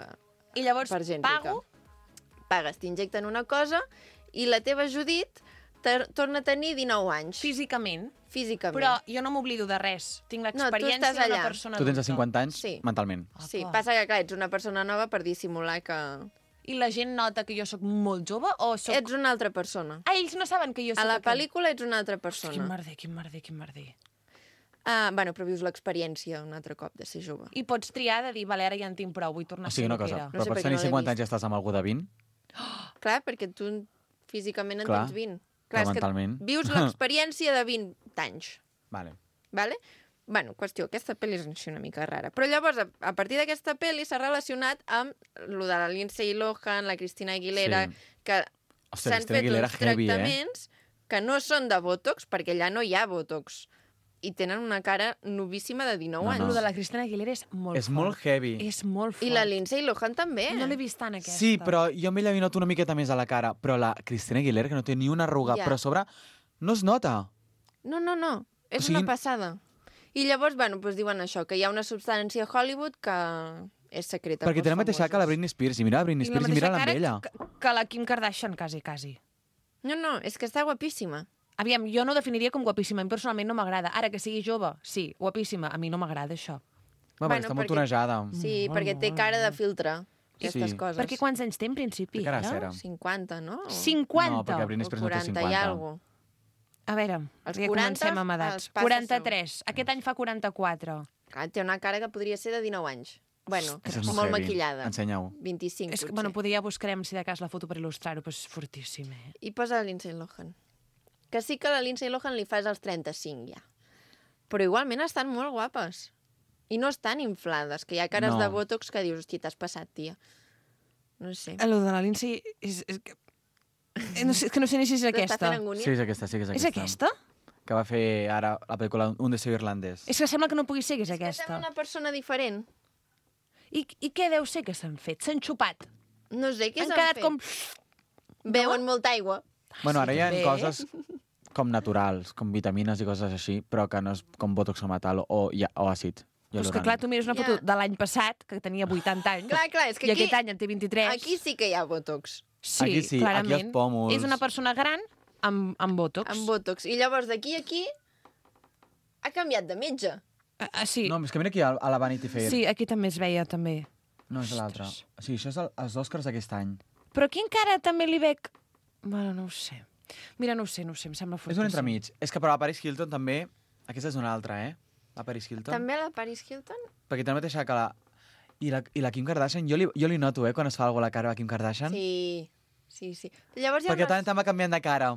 I llavors per gent pago... rica. Pagues, t'injecten una cosa i la teva Judit te- torna a tenir dinou anys. Físicament. Físicament. Però jo no m'oblido de res. Tinc No, tu l'experiència estàs allà. d'una persona Tu tens de adulta. cinquanta anys Sí. mentalment. Sí, Apa. passa que, clar, ets una persona nova per dissimular que I la gent nota que jo sóc molt jove o sóc... ets una altra persona. Ah, ells no saben que jo sóc A la aquell. pel·lícula ets una altra Quin persona. merder, quin merder, quin merder. Ah, bueno, però vius l'experiència un altre cop de ser jove. I pots triar de dir, vale, ara ja en tinc prou, vull tornar O sigui, a ser una el que cosa, era. No però sé pots per què tenir no l'he cinquanta anys vist. i estàs amb algú de vint? Clar, perquè tu físicament en Clar, tens vint. però és que mentalment. vius l'experiència de vint anys. Vale. Vale? Bueno, qüestió, aquesta pel·li és així una mica rara. Però llavors, a, a partir d'aquesta pel·li s'ha relacionat amb lo de la Lindsay Lohan, la Cristina Aguilera, Sí. que Ostres, s'han Cristina fet Aguilera uns heavy, eh? tractaments que no són de Botox, perquè allà no hi ha Botox. I tenen una cara novíssima de dinou No, anys. no. Lo de la Cristina Aguilera és molt És fort. molt heavy. És molt fort. I la Lindsay Lohan també. No l'he vist tant, aquesta. Sí, però jo amb ella li noto una miqueta més a la cara. Però la Cristina Aguilera, que no té ni una arruga, Ja. però a sobre no es nota. No, no, no. És O sigui- una passada. I llavors, bueno, doncs diuen això, que hi ha una substància a Hollywood que és secreta. Perquè té la mateixa cara que la Britney Spears. I mira la Britney I la Spears i mateixa mira-la amb cara ella. que, que la Kim Kardashian, quasi, quasi. No, no, és que està guapíssima. Aviam, jo no ho definiria com guapíssima. A mi personalment no m'agrada. Ara que sigui jove, sí, guapíssima. A mi no m'agrada això. Va, Bueno, està molt perquè- tonejada. Sí, perquè té cara de filtre, aquestes Sí. coses. Perquè quants anys té, en principi? Té cara ara? cera. cinquanta, no? O- cinquanta? No, perquè Britney o Spears no té quaranta i cinquanta. alguna. A veure, Els ja quaranta comencem amb els edats. passa quaranta-tres. Aquest any fa quaranta-quatre. Clar, té una cara que podria ser de dinou anys. Bueno, Això és molt, molt heavy. maquillada. Ensenya-ho. vint-i-cinc, És que, potser. bueno, potser ja buscarem, si de cas, la foto per il·lustrar-ho, però és fortíssim, eh? I posa la Lindsay Lohan. Que sí que la Lindsay Lohan li fas als trenta-cinc, ja. Però igualment estan molt guapes. I no estan inflades, que hi ha cares No. de Botox que dius, hosti, t'has passat, tia. No sé. El de la Lindsay és, és, que... eh, no sé, és que no sé ni si és T'està aquesta. fent angúnia? Sí, és aquesta, sí que és És aquesta. aquesta? Que va fer ara la pel·lícula Un deseo irlandès. És que sembla que no pugui ser que és Que sembla aquesta. una persona diferent. I, I què deu ser que s'han fet? S'han xupat. No sé què Han s'han quedat fet. com... Beuen molta aigua. Bueno, ara hi ha també. coses com naturals, com vitamines i coses així, però que no és com botox o metal o, ja, o àcid. Però és que, clar, tu mires una foto Ja. de l'any passat, que tenia vuitanta anys, Clar, clar, és que i aquí, aquest any en té vint-i-tres. aquí sí que hi ha Botox. sí, aquí sí, aquí clarament. els pòmuls. És una persona gran amb, amb botox. Amb Botox. I llavors d'aquí a aquí ha canviat de metge. Ah, ah, sí. No, és que mira aquí a, a la Vanity Fair. sí, aquí també es veia, també. No, és l'altre. O sigui, això és el, els Oscars d'aquest any. Però aquí encara també li veig... Bueno, no ho sé. Mira, no ho sé, no ho sé, em sembla És fortíssim. un entremig. És que però la Paris Hilton també... Aquesta és una altra, eh? La Paris Hilton. També la Paris Hilton? Perquè té la mateixa que la... I la, I la Kim Kardashian, jo li, jo li noto, eh, quan es fa alguna a la cara a la Kim Kardashian. Sí, sí, sí. Llavors hi ha Perquè unes... tant tant va canviant de cara.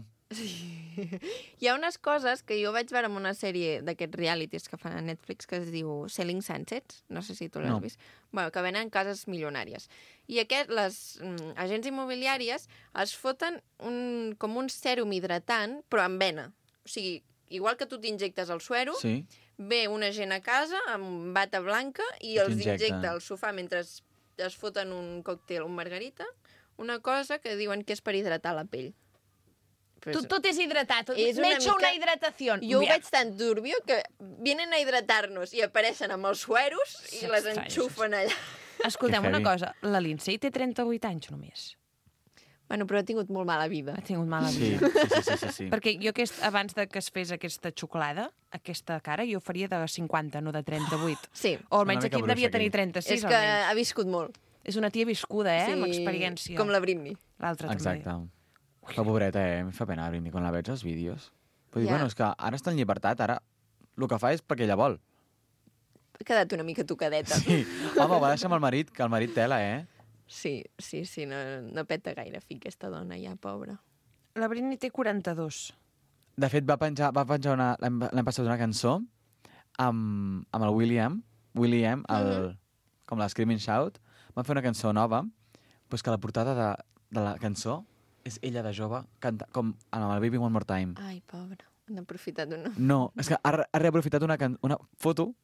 Hi ha unes coses que jo vaig veure en una sèrie d'aquests realities que fan a Netflix que es diu Selling Sunsets, no sé si tu l'has No. vist. Bueno, que venen cases milionàries. I aquest, les mm, agents immobiliàries es foten un, com un sèrum hidratant, però amb vena. O sigui, igual que tu t'injectes el suero, Sí. ve una gent a casa amb bata blanca i els T'injecta. injecta al sofà mentre es, es foten un còctel, un margarita, una cosa que diuen que és per hidratar la pell. Però Tu, és- tot és hidratat. És M'he una hecho una mica- hidratació. Jo ho Mira, veig tan turbio que vienen a hidratar-nos i apareixen amb els sueros i És les estrany, enxufen allà. Escolteu Que una heavy. cosa. La Lindsay té trenta-vuit anys només. Bueno, però ha tingut molt mala vida. Ha tingut mala Sí, vida. sí, sí, sí, sí, sí. Perquè jo aquest, abans de que es fes aquesta xocolada, aquesta cara, jo faria de cinquanta, no de trenta-vuit. Sí, O Una almenys mica aquí en devia bruixa, tenir aquí. trenta-sis, és que almenys. ha viscut molt. És una tia viscuda, eh, amb experiència. Com la Britney. L'altra també. Exacte. La pobreta, eh? Em fa pena, Britney, quan la veig als vídeos. Vull dir, Ja. bueno, és que ara està en llibertat, ara el que fa és perquè ella vol. Ha quedat una mica tocadeta. Sí. Home, va deixar amb el marit, que el marit tela, eh? Sí, sí, sí, no, no peta gaire fi aquesta dona ja, pobra. La Britney té quaranta-dos. De fet, va penjar, va penjar una, l'any l'any passat una cançó amb, amb el William, William, el, Mhm. com la Screaming Shout, van fer una cançó nova, doncs que la portada de, de la cançó és ella de jove, canta, com amb el Baby One More Time. Ai, pobra. Han aprofitat una... No, és que ha, re- ha reaprofitat una, can- una foto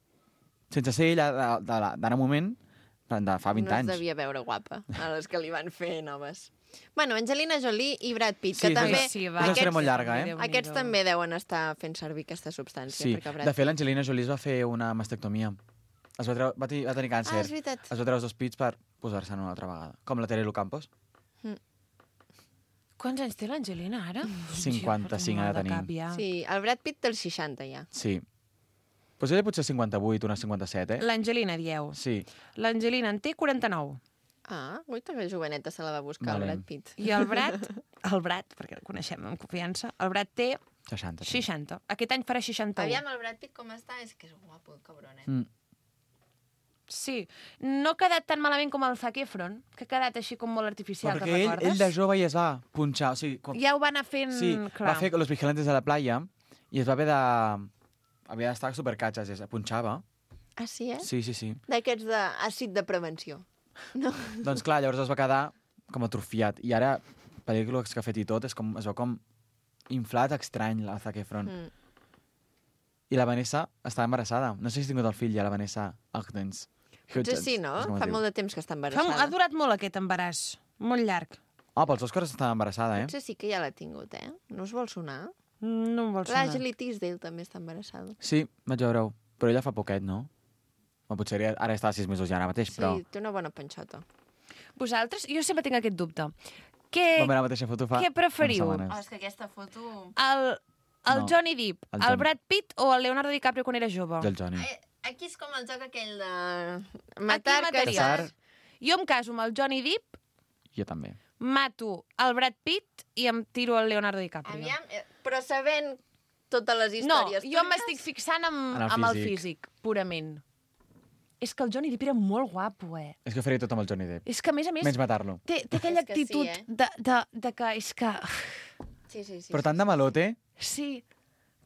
sense ser ella de- de la- d'ara moment, de fa vint no anys. es devia veure guapa, a les que li van fer noves. Bueno, Angelina Jolie i Brad Pitt, Sí, que és també... una- Sí, és una història molt llarga, eh? Déu-n'hi-do. Aquests també deuen estar fent servir aquesta substància. Sí, perquè Brad de fet, l'Angelina Jolie es va fer una mastectomia. Es va, treure, va, tenir, va tenir Ah, càncer. és veritat. Es va treure els dos pits per posar-se'n una altra vegada. Com la Terelu Campos. Quants anys té l'Angelina, ara? cinquanta-cinc ha de tenir. Ja. Sí, el Brad Pitt té els seixanta ja. Sí. Pues ella potser cinquanta-vuit, una cinquanta-set, eh? L'Angelina, dieu. Sí. L'Angelina en té quaranta-nou. Ah, ui, que joveneta se la va buscar Vale. el Brad Pitt. I el Brad, el Brad, perquè el coneixem amb confiança, el Brad té seixanta. Sí. seixanta. Aquest any farà seixanta-u. Aviam el Brad Pitt com està, és que és guapo el cabron, eh? Mm. Sí. No ha quedat tan malament com el Zac Efron, que ha quedat així com molt artificial, Perquè te'n ell, recordes? ell de jove ja es va punxar. O sigui, com... Ja ho va anar fent... Sí, clar. va fer Los Vigilantes de la Playa i es va haver de... Havia d'estar supercatxes, es punxava. Ah, sí, eh? Sí, sí, sí. D'aquests d'àcid de prevenció. No? Doncs clar, llavors es va quedar com atrofiat. I ara, pel·lícules que ha fet i tot, és com, es veu com inflat estrany, la Zac Efron. Mm. I la Vanessa està embarassada. No sé si ha tingut el fill ja, la Vanessa Hudgens. Potser sí, no? Fa molt de temps que està Fa, embarassada. ha durat molt aquest embaràs. Molt llarg. Ah, pels Oscars està embarassada, eh? Potser sí que ja l'ha tingut, eh? No us vol sonar? No em vol sonar. L'Ashley Tisdale també està embarassada. Sí, vaig veure-ho. Però ella fa poquet, no? O potser ara- ara està a sis mesos ja ara mateix, Sí, però... té una bona panxota. Vosaltres, jo sempre tinc aquest dubte. Què, Va veure la mateixa foto fa què preferiu? unes setmanes. és que aquesta foto... El, el No. Johnny Depp, El el, Johnny. Brad Pitt o el Leonardo DiCaprio quan era jove? Del Johnny. Eh, aquí és com el joc aquell de... A Matar, qui mataries? Casar. Jo em caso amb el Johnny Depp, Jo també. mato el Brad Pitt i em tiro el Leonardo DiCaprio. Aviam, eh, però sabent totes les No, històries... jo tues, m'estic fixant amb, En el amb el físic. físic, purament. És que el Johnny Depp era molt guapo, eh? És que faria tot amb el Johnny Depp. És que, a més a més, Menys matar-lo. té, té aquella És que sí, actitud eh? de, de, de que és que... Sí, sí, sí. Però sí, tant de malote, Sí,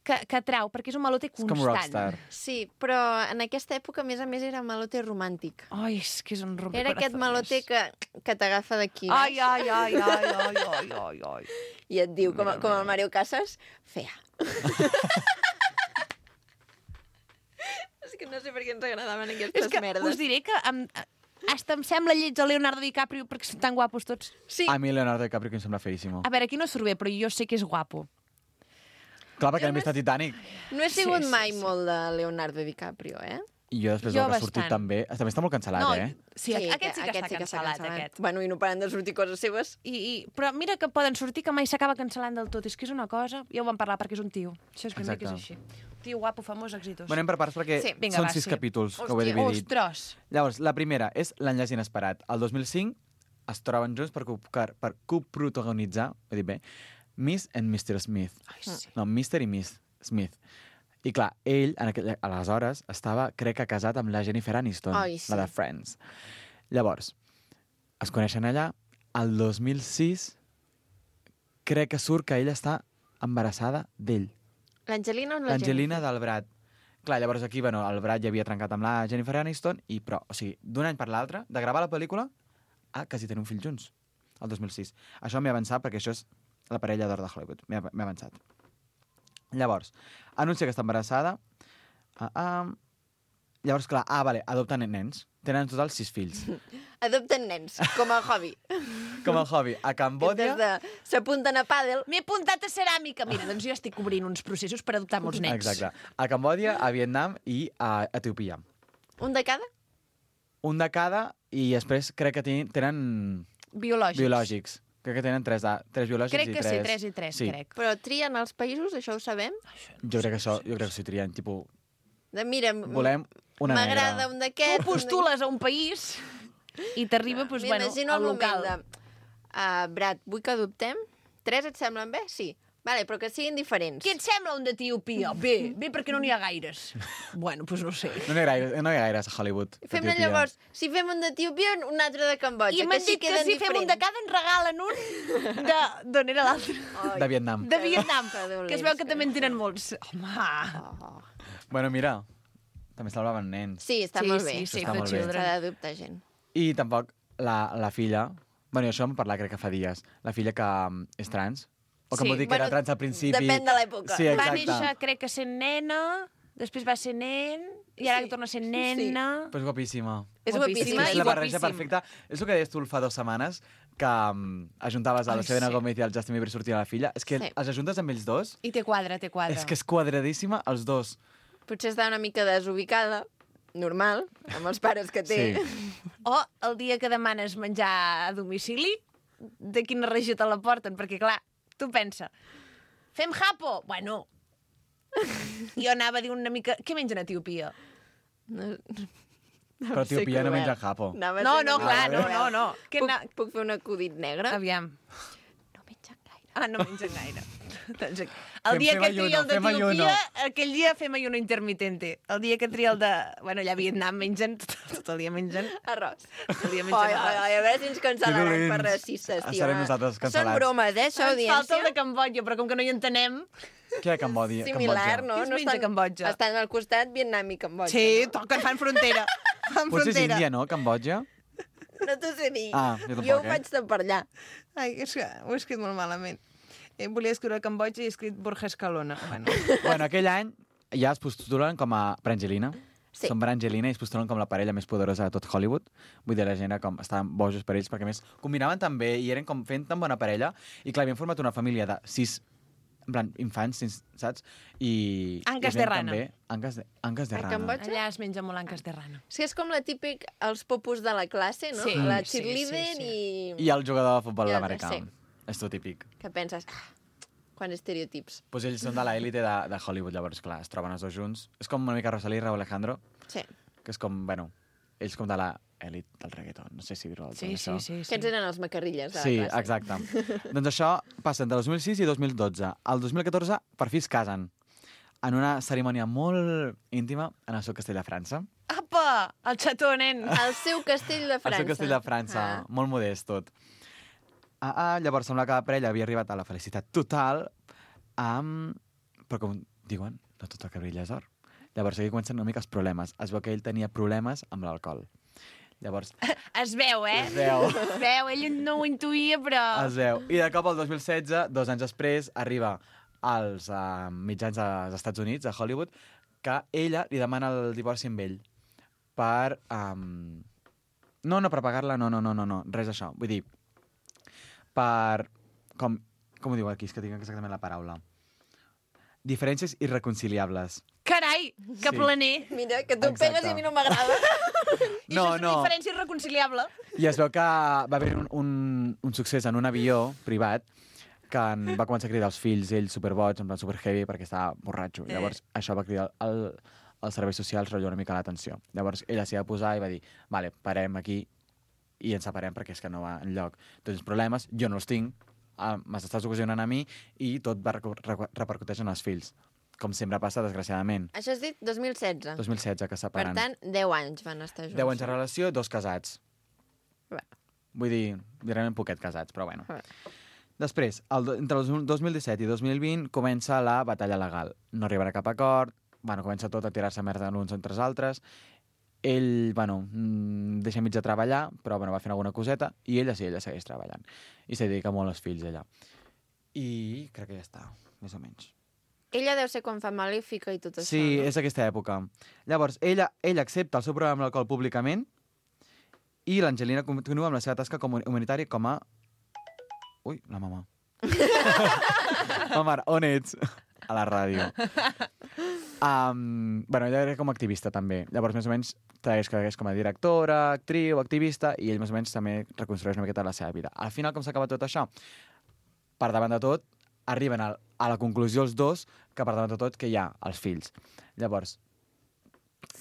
que, que trau, perquè és un malote és constant. com rockstar. Sí, però en aquesta època, a més a més, era malote romàntic. Ai, és que és un rompecorazones. Era aquest malote que, que t'agafa d'aquí Ai, baix ai, ai, ai, ai, ai, ai, ai. i et diu, com, Mira, com el mira. Mario Casas, fea. És que no sé per què ens agradaven aquestes És que merdes. us diré que em, hasta em sembla lleig el Leonardo DiCaprio perquè són tan guapos tots. Sí, A mi Leonardo DiCaprio que em sembla feíssimo. A veure, aquí no surt bé, però jo sé que és guapo. Clar, perquè Jo hem no vist a Titanic. no he sigut sí, mai sí. molt de Leonardo DiCaprio, eh? I jo després Jo del que ha sortit bastant. també... També està molt cancel·lat, no, eh? sí, aquest sí que està cancel·lat, aquest. Bueno, i no paren de sortir coses seves. I, i, però mira que poden sortir que mai s'acaba cancel·lant del tot. És que és una cosa... Ja ho vam parlar perquè és un tio. Això és ben bé que és així. Exacte. Tio guapo, famós, exitós. Bueno, anem per parts perquè Sí, vinga, són va, sis sí. capítols que ho he Hòstia, dividit. Ostres! Llavors, la primera és L'enllaç inesperat. El dos mil cinc es troben junts per, co- per coprotagonitzar, he dit bé, Miss and mister Smith. Ai, sí. No, mister i Miss Smith. I clar, ell, en aquell, aleshores, estava, crec que casat amb la Jennifer Aniston, Ai, sí. la de Friends. Llavors, es coneixen allà, el dos mil sis, crec que surt que ell està embarassada d'ell. L'Angelina o la L'Angelina Jennifer? del Brad. Clar, llavors aquí, bueno, el Brad ja havia trencat amb la Jennifer Aniston, i però, o sigui, d'un any per l'altre, de gravar la pel·lícula, a quasi tenir un fill junts, el dos mil sis. Això m'he avançat perquè això és la parella d'or de Hollywood. M'he m'he avançat. Llavors, anuncia que està embarassada. Uh, um, llavors, clar, ah, vale, adopten nens. Tenen en total sis fills. Adopten nens, com a hobby. Com a hobby. A Cambòdia... Des de... S'apunten a pàdel. M'he apuntat a ceràmica. Mira, doncs jo estic obrint uns processos per adoptar molts nens. Exacte. A Cambòdia, a Vietnam i a Etiòpia. Un de cada? Un de cada, i després crec que tenen, tenen Biològics. biològics. Crec que tenen tres, de, tres biològics Crec i que tres... sí, tres i tres, sí. crec. Però trien els països, això ho sabem? Jo crec que això, jo crec que s'hi trien, tipus, De, mira, volem una negra. m'agrada un d'aquests... Tu postules a un país i t'arriba, doncs, bueno, M'imagino al el local. moment de... Uh, Brad, vull que adoptem? Tres et semblen bé? Sí. Vale, però que siguin diferents. Què et sembla un d'Etiòpia? Bé, bé, perquè no n'hi ha gaires. Bueno, doncs no ho sé. No n'hi ha gaires, no hi ha gaires a Hollywood. Fem-ne Etiòpia. llavors, si fem un d'Etiòpia, un altre de Cambodja. I m'han sí dit que queden si fem un de diferents. cada ens regalen un de... D'on era l'altre? De Vietnam. De Vietnam, Que dolents, que es veu que que també en tenen molts. Home... Oh. Bueno, mira, també salvaven nens. Sí, està Sí, molt sí, bé. sí, Està for molt bé. children. S'ha d'adoptar gent. I tampoc la, la filla... Bueno, això em parlar crec que fa dies. La filla que um, és trans. O que Sí, em vol dir que bueno, era trans al principi. depèn de l'època. Sí, Va exacte. néixer, crec que sent nena, després va ser nen, i ara Sí. torna a ser nena. Però és guapíssima. És Guapíssima guapíssima és i la barreja guapíssim. perfecta. És el que deies tu fa dues setmanes, que um, ajuntaves a la Ai, Selena sí. Gomez i el Justin Bieber sortint a la filla. És que Sí. els ajuntes amb ells dos, I té quadre, té quadre. és que és quadradíssima, els dos. Potser està una mica desubicada, normal, amb els pares que té. Sí. O el dia que demanes menjar a domicili, de quina regió te la porten? Perquè, clar, tu pensa, fem japo? Bueno, jo anava a dir una mica... Què mengen a Etiòpia? No, Però Etiòpia no menja japo. Anava a No, ser no, una clar, mica no, no, cruel. no. Què Puc, na... puc fer un acudit negre? Aviam. No mengen gaire. Ah, no mengen gaire. Doncs el Fem- dia fem que tria ayuno, el fem ayuno. d'Etiòpia, aquell dia fem ayuno intermitente. El dia que tria el de... Bueno, allà a Vietnam mengen, tot, tot el dia mengen... Arròs. Tot el dia mengen Ai, ai, arròs. ai, a veure si ens cancel·laran dolents. per racistes, tio. Serem nosaltres Són cancel·lats. bromes, eh, això, Ens falta el de audiència. Cambodja, però com que no hi entenem... Què hi ha a Cambòdia? Similar, Cambodja? no? Què es no menja a Cambodja? Estan al costat Vietnam i Cambodja. Sí, no? toquen, fan frontera. Fan Potser és frontera. Índia, no? Cambodja? No t'ho sé dir. Ah, jo tampoc, jo ho eh? faig de per allà. Ai, és que ho he escrit molt malament. Eh, volia escriure Cambodja i he escrit Borja Escalona. Bueno. Bueno, aquell any ja es postulen com a Brangelina. Sí. Són Brangelina i es postulen com la parella més poderosa de tot Hollywood. Vull dir, la gent era com, estaven bojos per ells, perquè a més combinaven tan bé i eren com fent tan bona parella. I clar, havien format una família de sis en plan, infants, saps? I... Anques i de ven rana. També, anques de, anques de A rana. Cambodja? Allà es menja molt anques de rana. Sí, és com la típic, els popus de la classe, no? Sí, La sí, cheerleader sí, sí. i... I el jugador de futbol I el- americà. sí. És tot típic. Que penses, ah, quants estereotips. Pues ells són de l'élite de, de Hollywood, llavors, clar, es troben els dos junts. És com una mica Rosalía i Raúl Alejandro, Sí. que és com, bueno, ells com de l'elit del reggaeton. No sé si dir-ho del tot, Sí, això. sí, sí. Aquests eren els macarrilles de la Sí, classe. exacte. Doncs això passa entre dos mil sis i dos mil dotze. El dos mil catorze, per fi es casen. En una cerimònia molt íntima en el seu castell de França. Apa! El xató, nen! El seu castell de El França. seu castell de França, Ah. molt modest tot. Ah, ah, llavors sembla que la parella havia arribat a la felicitat total, amb... però com diuen, no tot el que brilla és or. Llavors aquí comencen una mica els problemes. Es veu que ell tenia problemes amb l'alcohol. Llavors, Es veu, eh? es veu, Es veu, ell no ho intuïa, però... es veu. I de cop, el dos mil setze, dos anys després, arriba als uh, mitjans dels Estats Units, a Hollywood, que ella li demana el divorci amb ell per... Um... No, no, per pagar-la, no, no, no, no, no, res d'això. Vull dir, per... Com, com ho diu aquí? És que tinc exactament la paraula. Diferències irreconciliables. Carai, que Sí. planer! Mira, que tu em Exacte. pegues i a mi no m'agrada. I No, això és una no. diferència irreconciliable. I es veu que va haver un, un, un succés en un avió privat que en va començar a cridar els fills, ell superboig, en plan super heavy, perquè estava borratxo. Eh. Llavors, això va cridar el, els serveis socials, rotllo una mica l'atenció. Llavors, ella s'hi va posar i va dir, vale, parem aquí i ens separem perquè és que no va enlloc. Tots els problemes, jo no els tinc, ah, m'estàs ocasionant a mi i tot va recu- recu- repercuteix en els fills. Com sempre passa, desgraciadament. Això has dit dos mil setze. dos mil setze, que Per separen. tant, deu anys van estar junts. deu anys de relació, dos casats. Bé. Vull dir, realment poquet casats, però bueno. Bé. Després, el, do- entre el dos mil disset i dos mil vint comença la batalla legal. No arribarà a cap acord, bueno, comença tot a tirar-se merda uns entre els altres. Ell, bueno, mm, deixa mig de treballar, però bueno, va fent alguna coseta, i ella sí, ella segueix treballant. I se dedica molt als fills, ella. I crec que ja està, més o menys. Ella deu ser quan fa Malèfica i tot això, Sí, no? és aquesta època. Llavors, ella, ella accepta el seu problema amb l'alcohol públicament i l'Angelina continua amb la seva tasca com humanitària com a... Ui, la mama. Mama, on ets? A la ràdio. Um, bueno, ella era com a activista, també. Llavors, més o menys, és que és com a directora, actriu, activista, i ell, més o menys, també reconstrueix una miqueta la seva vida. Al final, com s'acaba tot això? Per davant de tot, arriben a, a la conclusió els dos que per davant de tot que hi ha els fills. Llavors...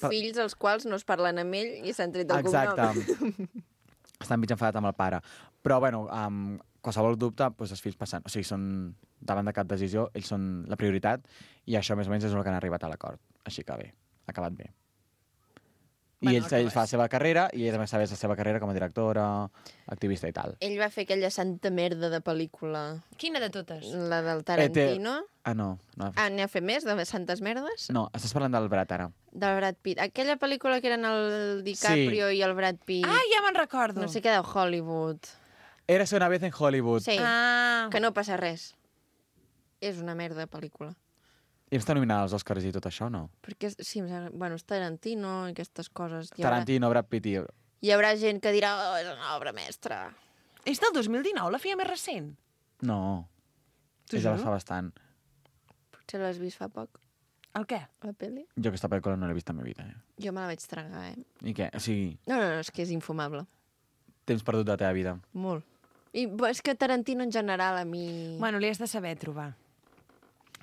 Fills els quals no es parlen amb ell i s'han tret el Exacte. cognom. Estan mig enfadat amb el pare. Però, bueno, amb qualsevol dubte, doncs els fills passen... O sigui, són davant de cap decisió, ells són la prioritat, i això més o menys és el que han arribat a l'acord. Així que bé, ha acabat bé. I Bueno, ell, el que ell fa la és. seva carrera, i ella també sabés la seva carrera com a directora, activista i tal. Ell va fer aquella santa merda de pel·lícula, Quina de totes? la del Tarantino. Ah, no. No, Ah, n'hi ha fet més, de santes merdes? no estàs parlant del Brad, ara. Del Brad Pitt. Aquella pel·lícula que eren el DiCaprio i el Brad Pitt. Ah, ja me'n recordo. No sé què de Hollywood. Érase una vez en Hollywood. Sí, Ah, que no passa res. És una merda de pel·lícula. I està nominada als Oscars i tot això, no? Perquè, sí, em sembla- bueno, és Tarantino i aquestes coses. Hi haurà, Tarantino, Brad Pitt i... hi haurà gent que dirà, oh, és una obra mestra. és del dos mil dinou, la feia més recent. No. T'ho És de juro? fa bastant. Potser l'has vist fa poc, El què? la pel·li? Jo aquesta pel·lícula no l'he vist en la meva vida. Eh? Jo me la vaig tragar, eh? I què? O sigui, No, no, no, és que és infumable. temps perdut de la teva vida. Molt. I bo, és que Tarantino en general a mi... Bueno, li has de saber trobar.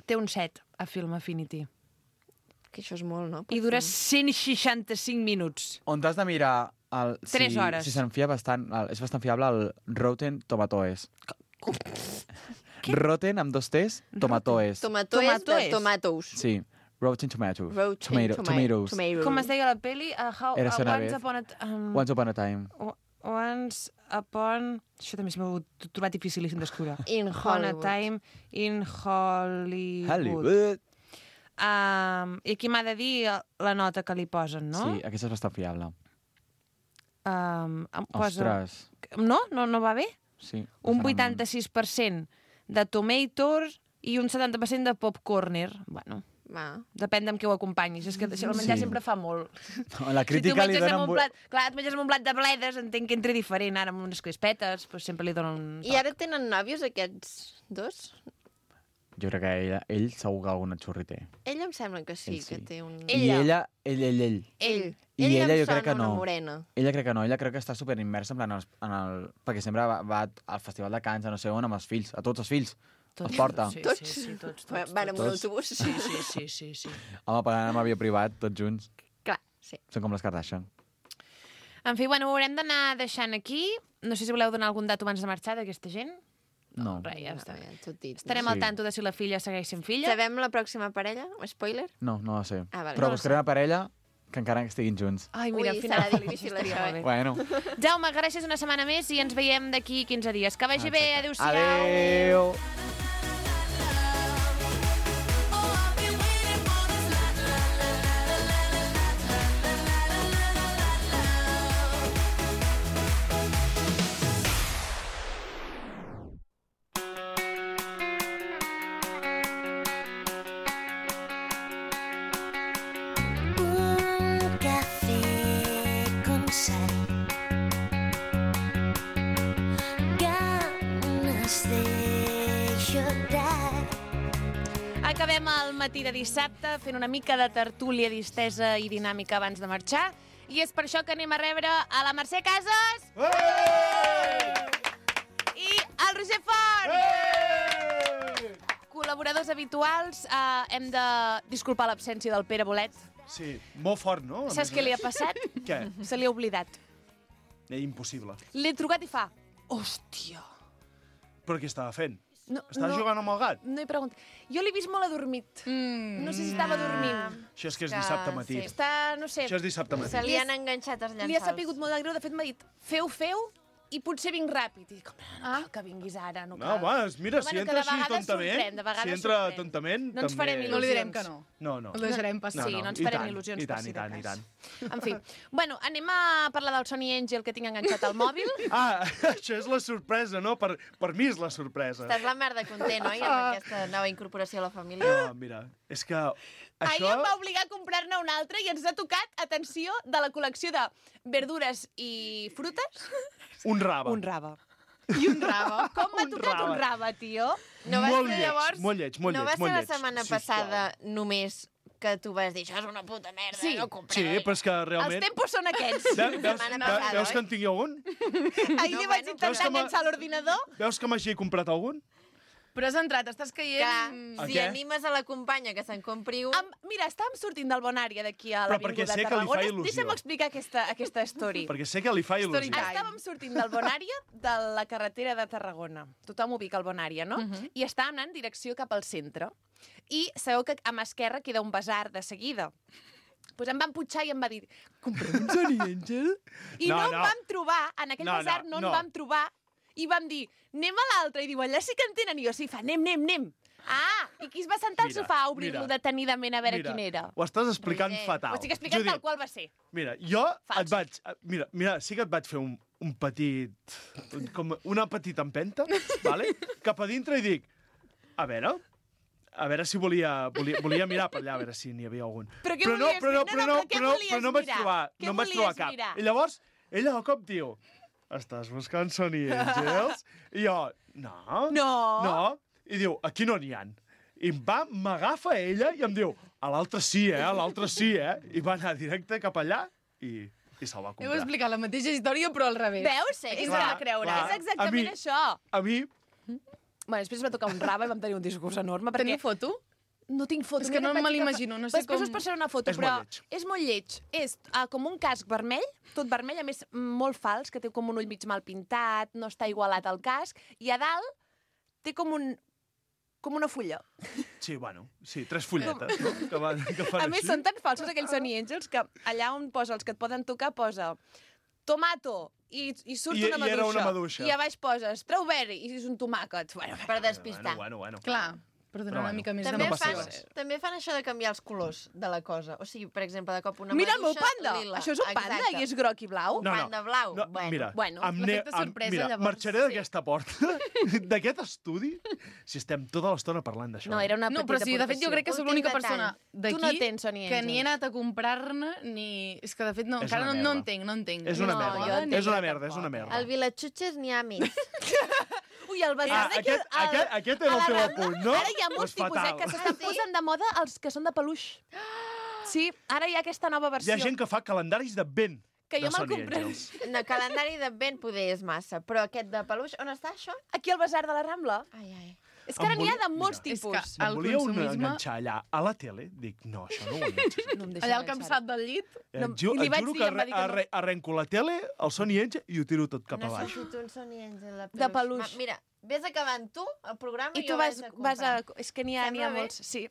Té un set a Film Affinity. Que això és molt, no? I dura cent seixanta-cinc minuts. On t'has de mirar... El, Tres si, hores. Si se'n fia bastant... El, és bastant fiable el Rotten Tomatoes. Rotten amb dos T's, Tomatoes. Tomato és de Tomatoes. tomatoes. Sí, Rotten Tomatoes. Rotten Tomato, toma- tomatoes. tomatoes. Com es deia la peli? Uh, how, Era uh, una Once vez. Upon a... t- Um, Once Upon a Time. Once Upon... Això també s'ha trobat dificilíssim d'escriure. In Upon a Hollywood. Time in Hollywood. Hollywood. Um, I aquí m'ha de dir la nota que li posen, no? Sí, aquesta és bastant fiable. Um, em posa... Ostres. No? No, no va bé? Sí. Un bastant vuitanta-sis per cent de tomatoes i un setanta per cent de popcorner. Bueno, Va. depèn amb què ho acompanyis. És que el menjar Sí. sempre fa molt. No, la Si tu crítica li menges dona amb un... un plat, clar, et menges amb un plat de bledes, entenc que entra diferent. Ara amb unes crispetes, però sempre li donen un toc. I ara tenen nòvios, aquests dos? Jo crec que ell, ell segur que alguna xurri té. Ell em sembla que sí, Ell sí. que té un... I ella, ell, ell, ell. Ell. I ell ella em jo crec sona que no. una morena. Ella crec que no, ella crec que està super immersa en, plan, en, el, en el... Perquè sempre va, va al Festival de Cants, a no sé on, amb els fills, a tots els fills. Els porta. Sí, Tots? sí, sí, tots, Va- tots. Van amb un tots. autobús? Sí, sí, sí, sí, sí. Home, pagant amb avió privat, tots junts. Clar, sí. Són com les Kardashian. En fi, bueno, ho haurem d'anar deixant aquí. No sé si voleu donar algun dato abans de marxar d'aquesta gent. No. Res, ja està. Ja, tot dit. Estarem Sí. al tanto de si la filla segueix sent filla. Sabem la pròxima parella? Spoiler? No, no ho sé. Ah, vale. Però No ho buscaré una parella que encara estiguin junts. Ai, mira, Ui, al final... serà difícil, estaria això, molt bé. eh? Bueno. Jaume, gràcies una setmana més i ens veiem d'aquí quinze dies. Que vagi bé, adéu-siau. Adéu! Un café con sal. Ganas de llorar. Acabem el matí de dissabte fent una mica de tertúlia distesa i dinàmica abans de marxar. I és per això que anem a rebre a la Mercè Casas i el Roger Font. Col·laboradors habituals. Uh, hem de disculpar l'absència del Pere Bolet. Sí, molt fort, no? A Saps més què a li ha més. passat? Què? Se li ha oblidat. Eh, impossible. L'he trucat i fa... Hòstia. Però què estava fent? No, Estava jugant amb el gat? No he preguntat. Jo l'he vist molt adormit. Mm. No sé si estava dormint. Això és que és dissabte matí. Està, no sé... Això és dissabte matí. Se li han enganxat els Li ha llençols. sapigut molt de greu. De fet, m'ha dit, feu, feu, i potser vinc ràpid. I dic, home, no Ah. cal que vinguis ara, no No, cal. home, mira, Però si bueno, entra que de així vegades tontament, sorprèn, de vegades si entra sorprèn. tontament, No ens també... farem No li direm il·lusions. que no. No, no. El deixarem passar. Sí, no ens i farem tant, il·lusions i per tant, si i de tant, i cas. tant. En fi, bueno, anem a parlar del Sony Angel que tinc enganxat al mòbil. Ah, això és la sorpresa, no? Per, per mi és la sorpresa. Estàs la merda content, oi, amb aquesta nova incorporació a la família? No, mira, és que Ahir això... em va obligar a comprar-ne un altre i ens ha tocat, atenció, de la col·lecció de verdures i frutes, Un raba. un raba. I un raba. Com m'ha Un tocat raba. un raba, tio? No va molt ser lleig, llavors... molt lleig, molt no lleig, va molt ser la lleig, setmana sisplau. passada només que tu vas dir això és una puta merda, Sí. no Sí, compreu. però és que Els realment... tempos són aquests. Ve- Veus, setmana ve- passada, veus oi? que en tingui algun? Ahir No, li vaig bueno, intentar veus que m'ha- enganxar a l'ordinador. Veus que m'hagi comprat algun? Però has entrat, estàs Que, caient... A si què? animes a la companya que se'n compri un... Am, mira, estàvem sortint del Bonària d'aquí a Però perquè l'Avinguda sé de que li fa Tarragona. il·lusió. Deixa'm explicar aquesta, aquesta story. Perquè sé que li fa Story il·lusió. time. Estàvem sortint del Bonària de la carretera de Tarragona. Tothom ubica el Bonària, no? Mhm. I estàvem anant en direcció cap al centre. I sabeu que a mà esquerra queda un basar de seguida. Pues em van putxar i em va dir, comprem un Sony Angel? I no, No, no no. em vam trobar, en aquell No, no, basar no, no. en vam trobar, i vam dir, anem a l'altre, i diu, allà sí que en tenen, i jo sí, fa, anem, anem, anem. Ah, i qui es va sentar al Mira, sofà a obrir-lo mira. detenidament a veure Mira, quin era? Ho estàs explicant Roger, fatal. Ho estic explicant Judit, tal qual va ser. Mira, jo Fals. et vaig... Mira, mira, sí que et vaig fer un, un petit... Com una petita empenta, vale? Cap a dintre i dic, a veure, a veure si volia, volia, volia mirar per allà, a veure si n'hi havia algun. Però què no, volies però no, fer? però No, no, no, però què però, volies però no em vaig mirar? trobar, Què no em vaig volies trobar cap. mirar? I llavors, ella de cop diu, estàs buscant Sony Angels? I jo, no, No. no. I diu, aquí no n'hi ha. I em va, m'agafa ella i em diu, a l'altre sí, eh, a l'altre sí, eh? I va anar directe cap allà i, i se'l va Heu comprar. explicat la mateixa història, però al revés. Veus? Sí, és clar, de creure. clar. És exactament A mi- això. A mi, Bueno, després va tocar un raba i vam tenir un discurs enorme. Perquè Teniu foto? no tinc foto. És que Mira, no vaig me agafar- l'imagino, no sé Després com- us passaré una foto, És però molt lleig. és molt lleig. És uh, com un casc vermell, tot vermell, a més molt fals, que té com un ull mig mal pintat, no està igualat al casc, i a dalt té com un com una fulla. sí, bueno, sí, tres fulletes, no? Que, van, que fan A més, així. són tan falsos aquells Sony Angels que allà on posa els que et poden tocar posa tomato i, i surt I- una i maduixa. era una maduixa. I a baix poses strawberry i és un tomàquet. Bueno, Per despistar. Bueno, bueno, bueno. Clar, per donar Però una bueno. mica més També no passa fan, res. també fan això de canviar els colors de la cosa. O sigui, per exemple, de cop una mira el meu maduixa panda! lila. Això és un panda Exacte. i és groc i blau? Un panda blau. No, Bueno. mira, Bueno, em ne- l'efecte em- sorpresa, mira, llavors, marxaré d'aquesta porta, d'aquest estudi, si estem tota l'estona parlant d'això. No, era una No, petita però sí, de fet jo crec que sóc Últim l'única detall. persona Tu d'aquí no tens Sony que ni he Angels. anat a comprar-ne ni... És que de fet no, És encara una no, no merda. entenc, no entenc. És una No, merda. jo entenc És una que merda, és una tampoc. merda. Al Vilatxutxes n'hi ha més. Ui, el basar Ah, d'aquí... aquest, al- aquest, aquest era a el la teu Rambla, apunt, no? Ara hi ha molts Pues tipus, eh, fatal. que s'estan Ah, sí? posant de moda els que són de peluix. Sí, ara hi ha aquesta nova Hi versió. ha gent que fa calendaris d'advent Que jo de me'l Sony compraré. Angels. No, calendari d'advent poder és massa, però aquest de peluix, on està això? Aquí al basar de la Rambla. Ai, ai. És que ara Em n'hi ha volia- de molts Mira, és tipus. que- Me'n El volia un consumisme- enganxar allà a la tele. Dic, no, això no ho enganxes. No em deixa Allà al enganxar. campsat del llit? Et, No, ju i li et vaig juro dir, que em va dir que arre no. arre arrenco la tele, el Sony Angel, i ho tiro tot cap a baix. Necessito un Sony Angel de peluix. De peluix. Ma, mira, vés acabant tu el programa i, I tu jo vas, vaig a vas a... comprar. És que n'hi ha, n'hi ha Sembla bé? molts, sí.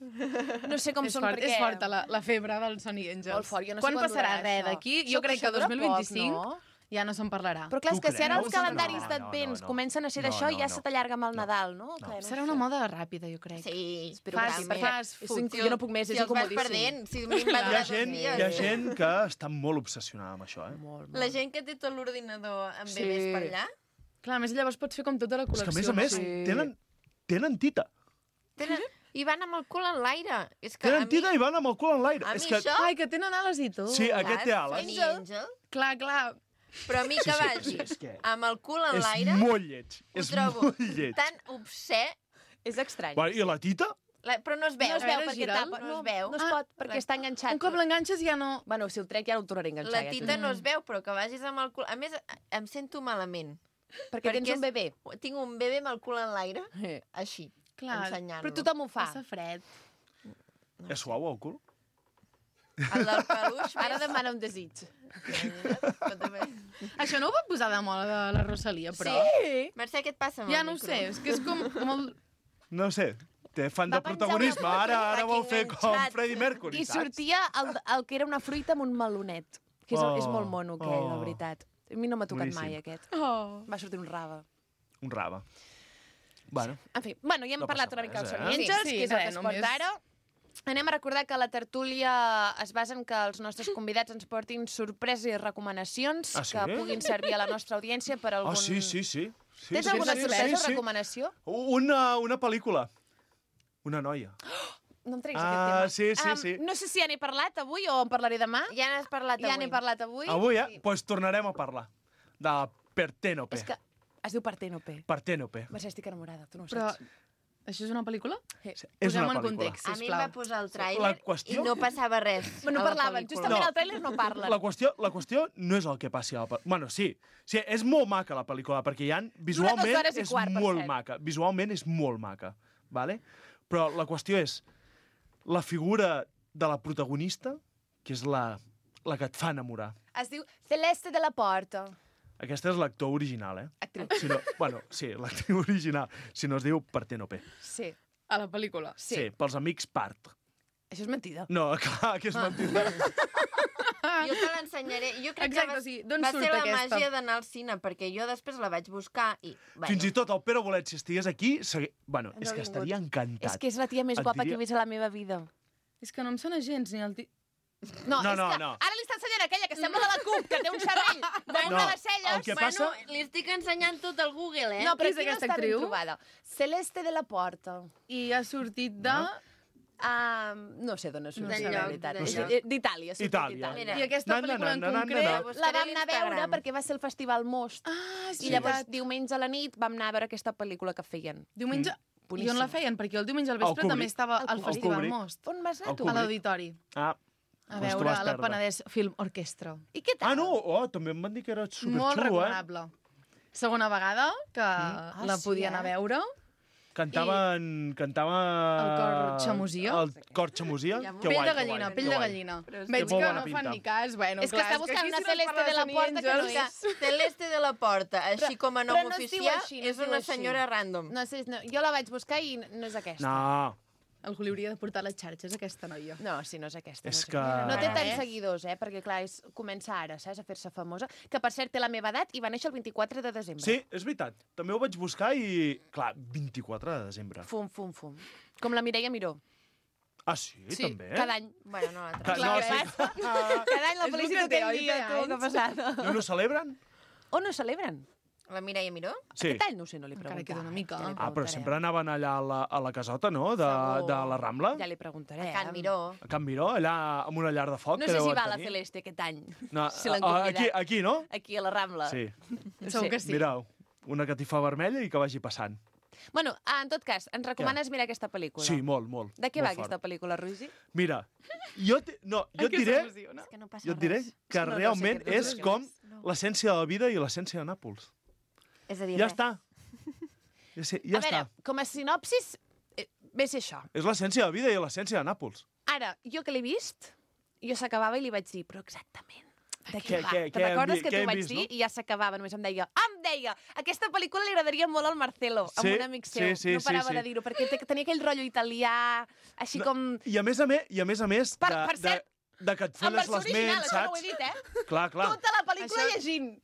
No sé com És, són fort, perquè... és forta la, la febre del Sony Angels. Molt fort, jo no sé quan quan passarà durarà res això. d'aquí? Això- Jo crec que això dura dos mil vint-i-cinc poc, no? ja no se'n parlarà. Però clar, és Tu que si ara creus? els calendaris No, no, d'advents no, no. comencen a ser No, d'això, no, ja no. se t'allarga amb el Nadal, no? Que no Serà sé. una moda ràpida, jo crec. Sí, Espero fas, que sí, perquè fas és food. inc- jo no puc més, si és els vas incomodíssim. perdent, si Hi m'inventaràs ha els gent, dies. hi ha gent que està molt obsessionada amb això, eh? Molt, molt. La gent que té tot l'ordinador amb Sí. bebès per allà, Clar, a més llavors pots fer com tota la És col·lecció. que, a més a més, Sí. tenen, tenen tita. tenen... i van amb el cul en l'aire. És que a Tenen mi, tita i van amb el cul en l'aire. a mi És que, això... Ai, que tenen ales i tot. Sí, aquest té Saps? ales. Sony Angel. Clar, clar. Però a mi que Sí, sí, vagi és que- amb el cul en és l'aire, molt lleig. ho És trobo molt lleig. tan obscè, És estrany. Bueno, I la tita? la... però no es veu. No es A veu veure, perquè gira'l. tapa. No es veu. No es Ah, pot, perquè està enganxat. Un cop l'enganxes ja no... Bueno, si el trec ja no el tornaré a enganxar. La ja t'ho tita dic. no es veu, però que vagis amb el cul... A més, em sento malament. Perquè tens és- un bebè. Tinc un bebè amb el cul en l'aire, Eh. així, Clar, ensenyant-lo. Però tothom ho fa. Passa fred. És suau, el cul? El del peluix, Ara més. demana un desig. Això no ho va posar de moda de la Rosalia, però... Sí. Mercè, què et passa amb Ja el no ho micro? sé, és que és com molt... No sé, té fan de Va penjar protagonisme. una foto, Ara ara vol fer fucking com enganxat. Freddie Mercury, I saps? sortia el, el que era una fruita amb un melonet. Que és, Oh, és molt mono, aquell, oh. la veritat. A mi no m'ha tocat Boníssim. mai, aquest. Oh. Va sortir un rave. Un rave. Bueno, En fi, bueno, ja hem No parlat passa una mica dels res, eh? Sony Angels, Sí, sí, que és el que res, es porta només- ara. Anem a recordar que la tertúlia es basa en que els nostres convidats ens portin sorpreses i recomanacions Ah, sí? que puguin servir a la nostra audiència per algun... ah, sí, sí, sí. sí Tens sí, alguna sí, sorpresa sí, o sí. recomanació? Una, una pel·lícula. Una noia. No em treguis Ah, aquest tema. sí, sí, Am, sí. No sé si ja n'he parlat avui o en parlaré demà. Ja n'has parlat Ja avui. n'he parlat avui. Avui, eh? Doncs pues tornarem a parlar de Partènope. És que es diu Partènope. Partènope. Mercè, estic enamorada, tu no ho Però saps. això és una pel·lícula? És Posem una en pel·lícula. context, A mi em sisplau. va posar el La tràiler qüestió- i no passava res. No a la parlaven, pel·lícula. justament No. al tràiler no parlen. La qüestió, la qüestió no és el que passi a la pel·lícula. Bueno, sí. sí. És molt maca la pel·lícula, perquè hi ha, visualment hores i és quart, per molt cert. maca. Visualment és molt maca. Vale? Però la qüestió és la figura de la protagonista, que és la, la que et fa enamorar. Es diu Celeste de la Porta. Aquesta és l'actor original, eh? Actriu. Si no, bueno, sí, l'actriu original. Si no es diu Partènope. Sí. A la pel·lícula. Sí. Sí, pels amics Part. Això és mentida. No, clar, que és mentida. Jo te l'ensenyaré. Jo crec Exacte, que va, sí. D'on va surt ser la aquesta? màgia d'anar al cine, perquè jo després la vaig buscar i... Bueno, Fins i tot el Pere Bolet, si estigués aquí, segui... bueno, No és ha que vingut. estaria encantat. És que és la tia més Et guapa diria- que he vist a la meva vida. És que no em sona gens ni el... Ti... No, No, és no, que no. ara li està ensenyant aquella que sembla de la CUP, que té un xerrell damunt No, de les celles. el que bueno, passa- li estic ensenyant tot al Google, eh? No, però Qui és aquí no aquesta està ben actriu? trobada. Celeste de la Porta. I ha sortit de... Uh, no sé d'on ha sortit, D'enlloc, la veritat. d'enlloc. És- D'Itàlia, ha sortit Itàlia. d'Itàlia. Mira. I aquesta Na, na, pel·lícula en na, na, na, concret... na. La buscaré vam anar a veure l'Instagram. perquè va ser el Festival Most. Ah, és I llavors, veritat. diumenge a la nit, vam anar a veure aquesta pel·lícula que feien. Diumenge... I Boníssim. on la feien? Perquè el diumenge al Al vespre també Kubrick. estava Al al Kubrick. Festival Al Kubrick. Most. On vas anar Al tu? A Kubrick. l'auditori. Ah, A Doncs t'ho veure vas la perdre. Penedès Film Orquestra. I què tal? ah, no, oh, també em van dir que era Molt superxulo, eh? recomanable. Segona vegada que Ah, la sí, podia anar eh? a veure. Cantaven... Cantava... El cor xamosia? El cor xamosia? Ja m'ho- Que Pell guai, de que gallina, guai, pell que de guai. gallina. és Veig molt que bona no pinta. fan ni cas. Bueno, És que clar, està buscant aquí una si no es Celeste parla de la Sony Porta que no Angels- és. Celeste de la Porta, així com a nom però no es diu oficial, així, no es és diu una així. senyora random. No sé, no, jo la vaig buscar i no és aquesta. No, Algú li hauria de portar les xarxes, aquesta noia. No, sí, no és aquesta. És no, que- no té tants Res. seguidors, eh? Perquè, clar, és, comença ara, saps? A fer-se famosa. Que, per cert, té la meva edat i va néixer el vint-i-quatre de desembre. sí, és veritat. També ho vaig buscar i... Clar, vint-i-quatre de desembre. Fum, fum, fum. Com la Mireia Miró. Ah, sí? Sí, també? cada any. Bueno, no la Ca- trobo. no, Clar, sí. Cada any la És el felicito que té, aquell oi, dia, té tu, que anys? passada. No, no celebren? On no celebren? La Mireia Miró? Sí. Aquest any no ho sé, no li he Encara preguntat. queda una mica. Ja li Ah, però preguntaré. sempre anaven allà a la, a la casota, no?, de, Segur. de la Rambla. Ja li preguntaré. A Can eh? Miró. A Can Miró, allà amb una llar de foc. No que sé si deuen va a la tenir. Celeste aquest any. No, si l'han a- convidat. aquí, aquí, no? Aquí, a la Rambla. Sí. Segur que sí. Mira, una catifa vermella i que vagi passant. Bueno, ah, en tot cas, ens recomanes mirar aquesta pel·lícula? Sí, molt, molt. De què molt va fort. aquesta pel·lícula, Ruizi? Mira, jo, te, no, jo et Que diré, s'emociona. És que no passa jo et diré res. que no, no sé realment què- no sé és què com és. l'essència de la vida i l'essència de Nàpols. És a dir, Ja res. està. Ja, sé, ja a veure, està. com a sinopsis, eh, ve a ser això. És l'essència de la vida i l'essència de Nàpols. Ara, jo que l'he vist, jo s'acabava i li vaig dir, però exactament, de què Què- va? què- Te'n què hem recordes vi- que què t'ho hem vaig vist, dir? no? I ja s'acabava, només em deia, em deia, aquesta pel·lícula li agradaria molt al Marcelo, Sí, amb un amic seu. sí, sí, no parava sí, sí. de dir-ho, perquè te- tenia aquell rotllo italià, així com... I a més a més, i a més, a més Per- de, per cert, de, de que et En fones versió les original, ments, això no ho he saps? dit, eh? Clar, clar. Tota la pel·lícula Això- llegint.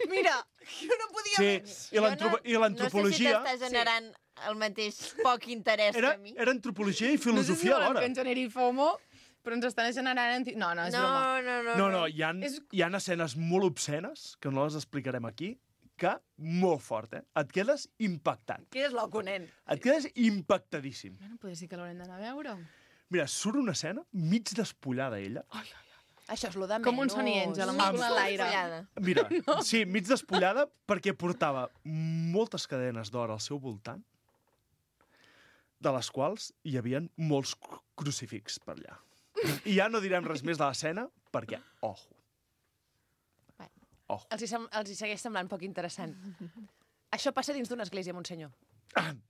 Mira, jo no podia Sí, menys. i Jo l'antropo- i l'antropologia... No sé si t'està generant el mateix poc interès Era, que a mi. era antropologia i No sé si filosofia volen que alhora. ens generi FOMO, però ens estan generant... Anti... No, no, és broma. No, no, no. No, no, hi ha, És- hi ha escenes molt obscenes, que no les explicarem aquí, que molt fort, eh? Et quedes impactat. Que és loco, nen. Et quedes impactadíssim. Bueno, potser sí que l'haurem d'anar a veure. Mira, surt una escena mig despullada, ella. Això és lo de menys. Com un Sony Angel, amb el cul a l'aire. Follada. Mira, no. sí, mig despullada perquè portava moltes cadenes d'or al seu voltant, de les quals hi havien molts cru- crucifix per allà. I ja no direm res més de l'escena, perquè, ojo. Bueno. Ojo. Els hi, sem els hi segueix semblant poc interessant. Això passa dins d'una església, Monsenyor.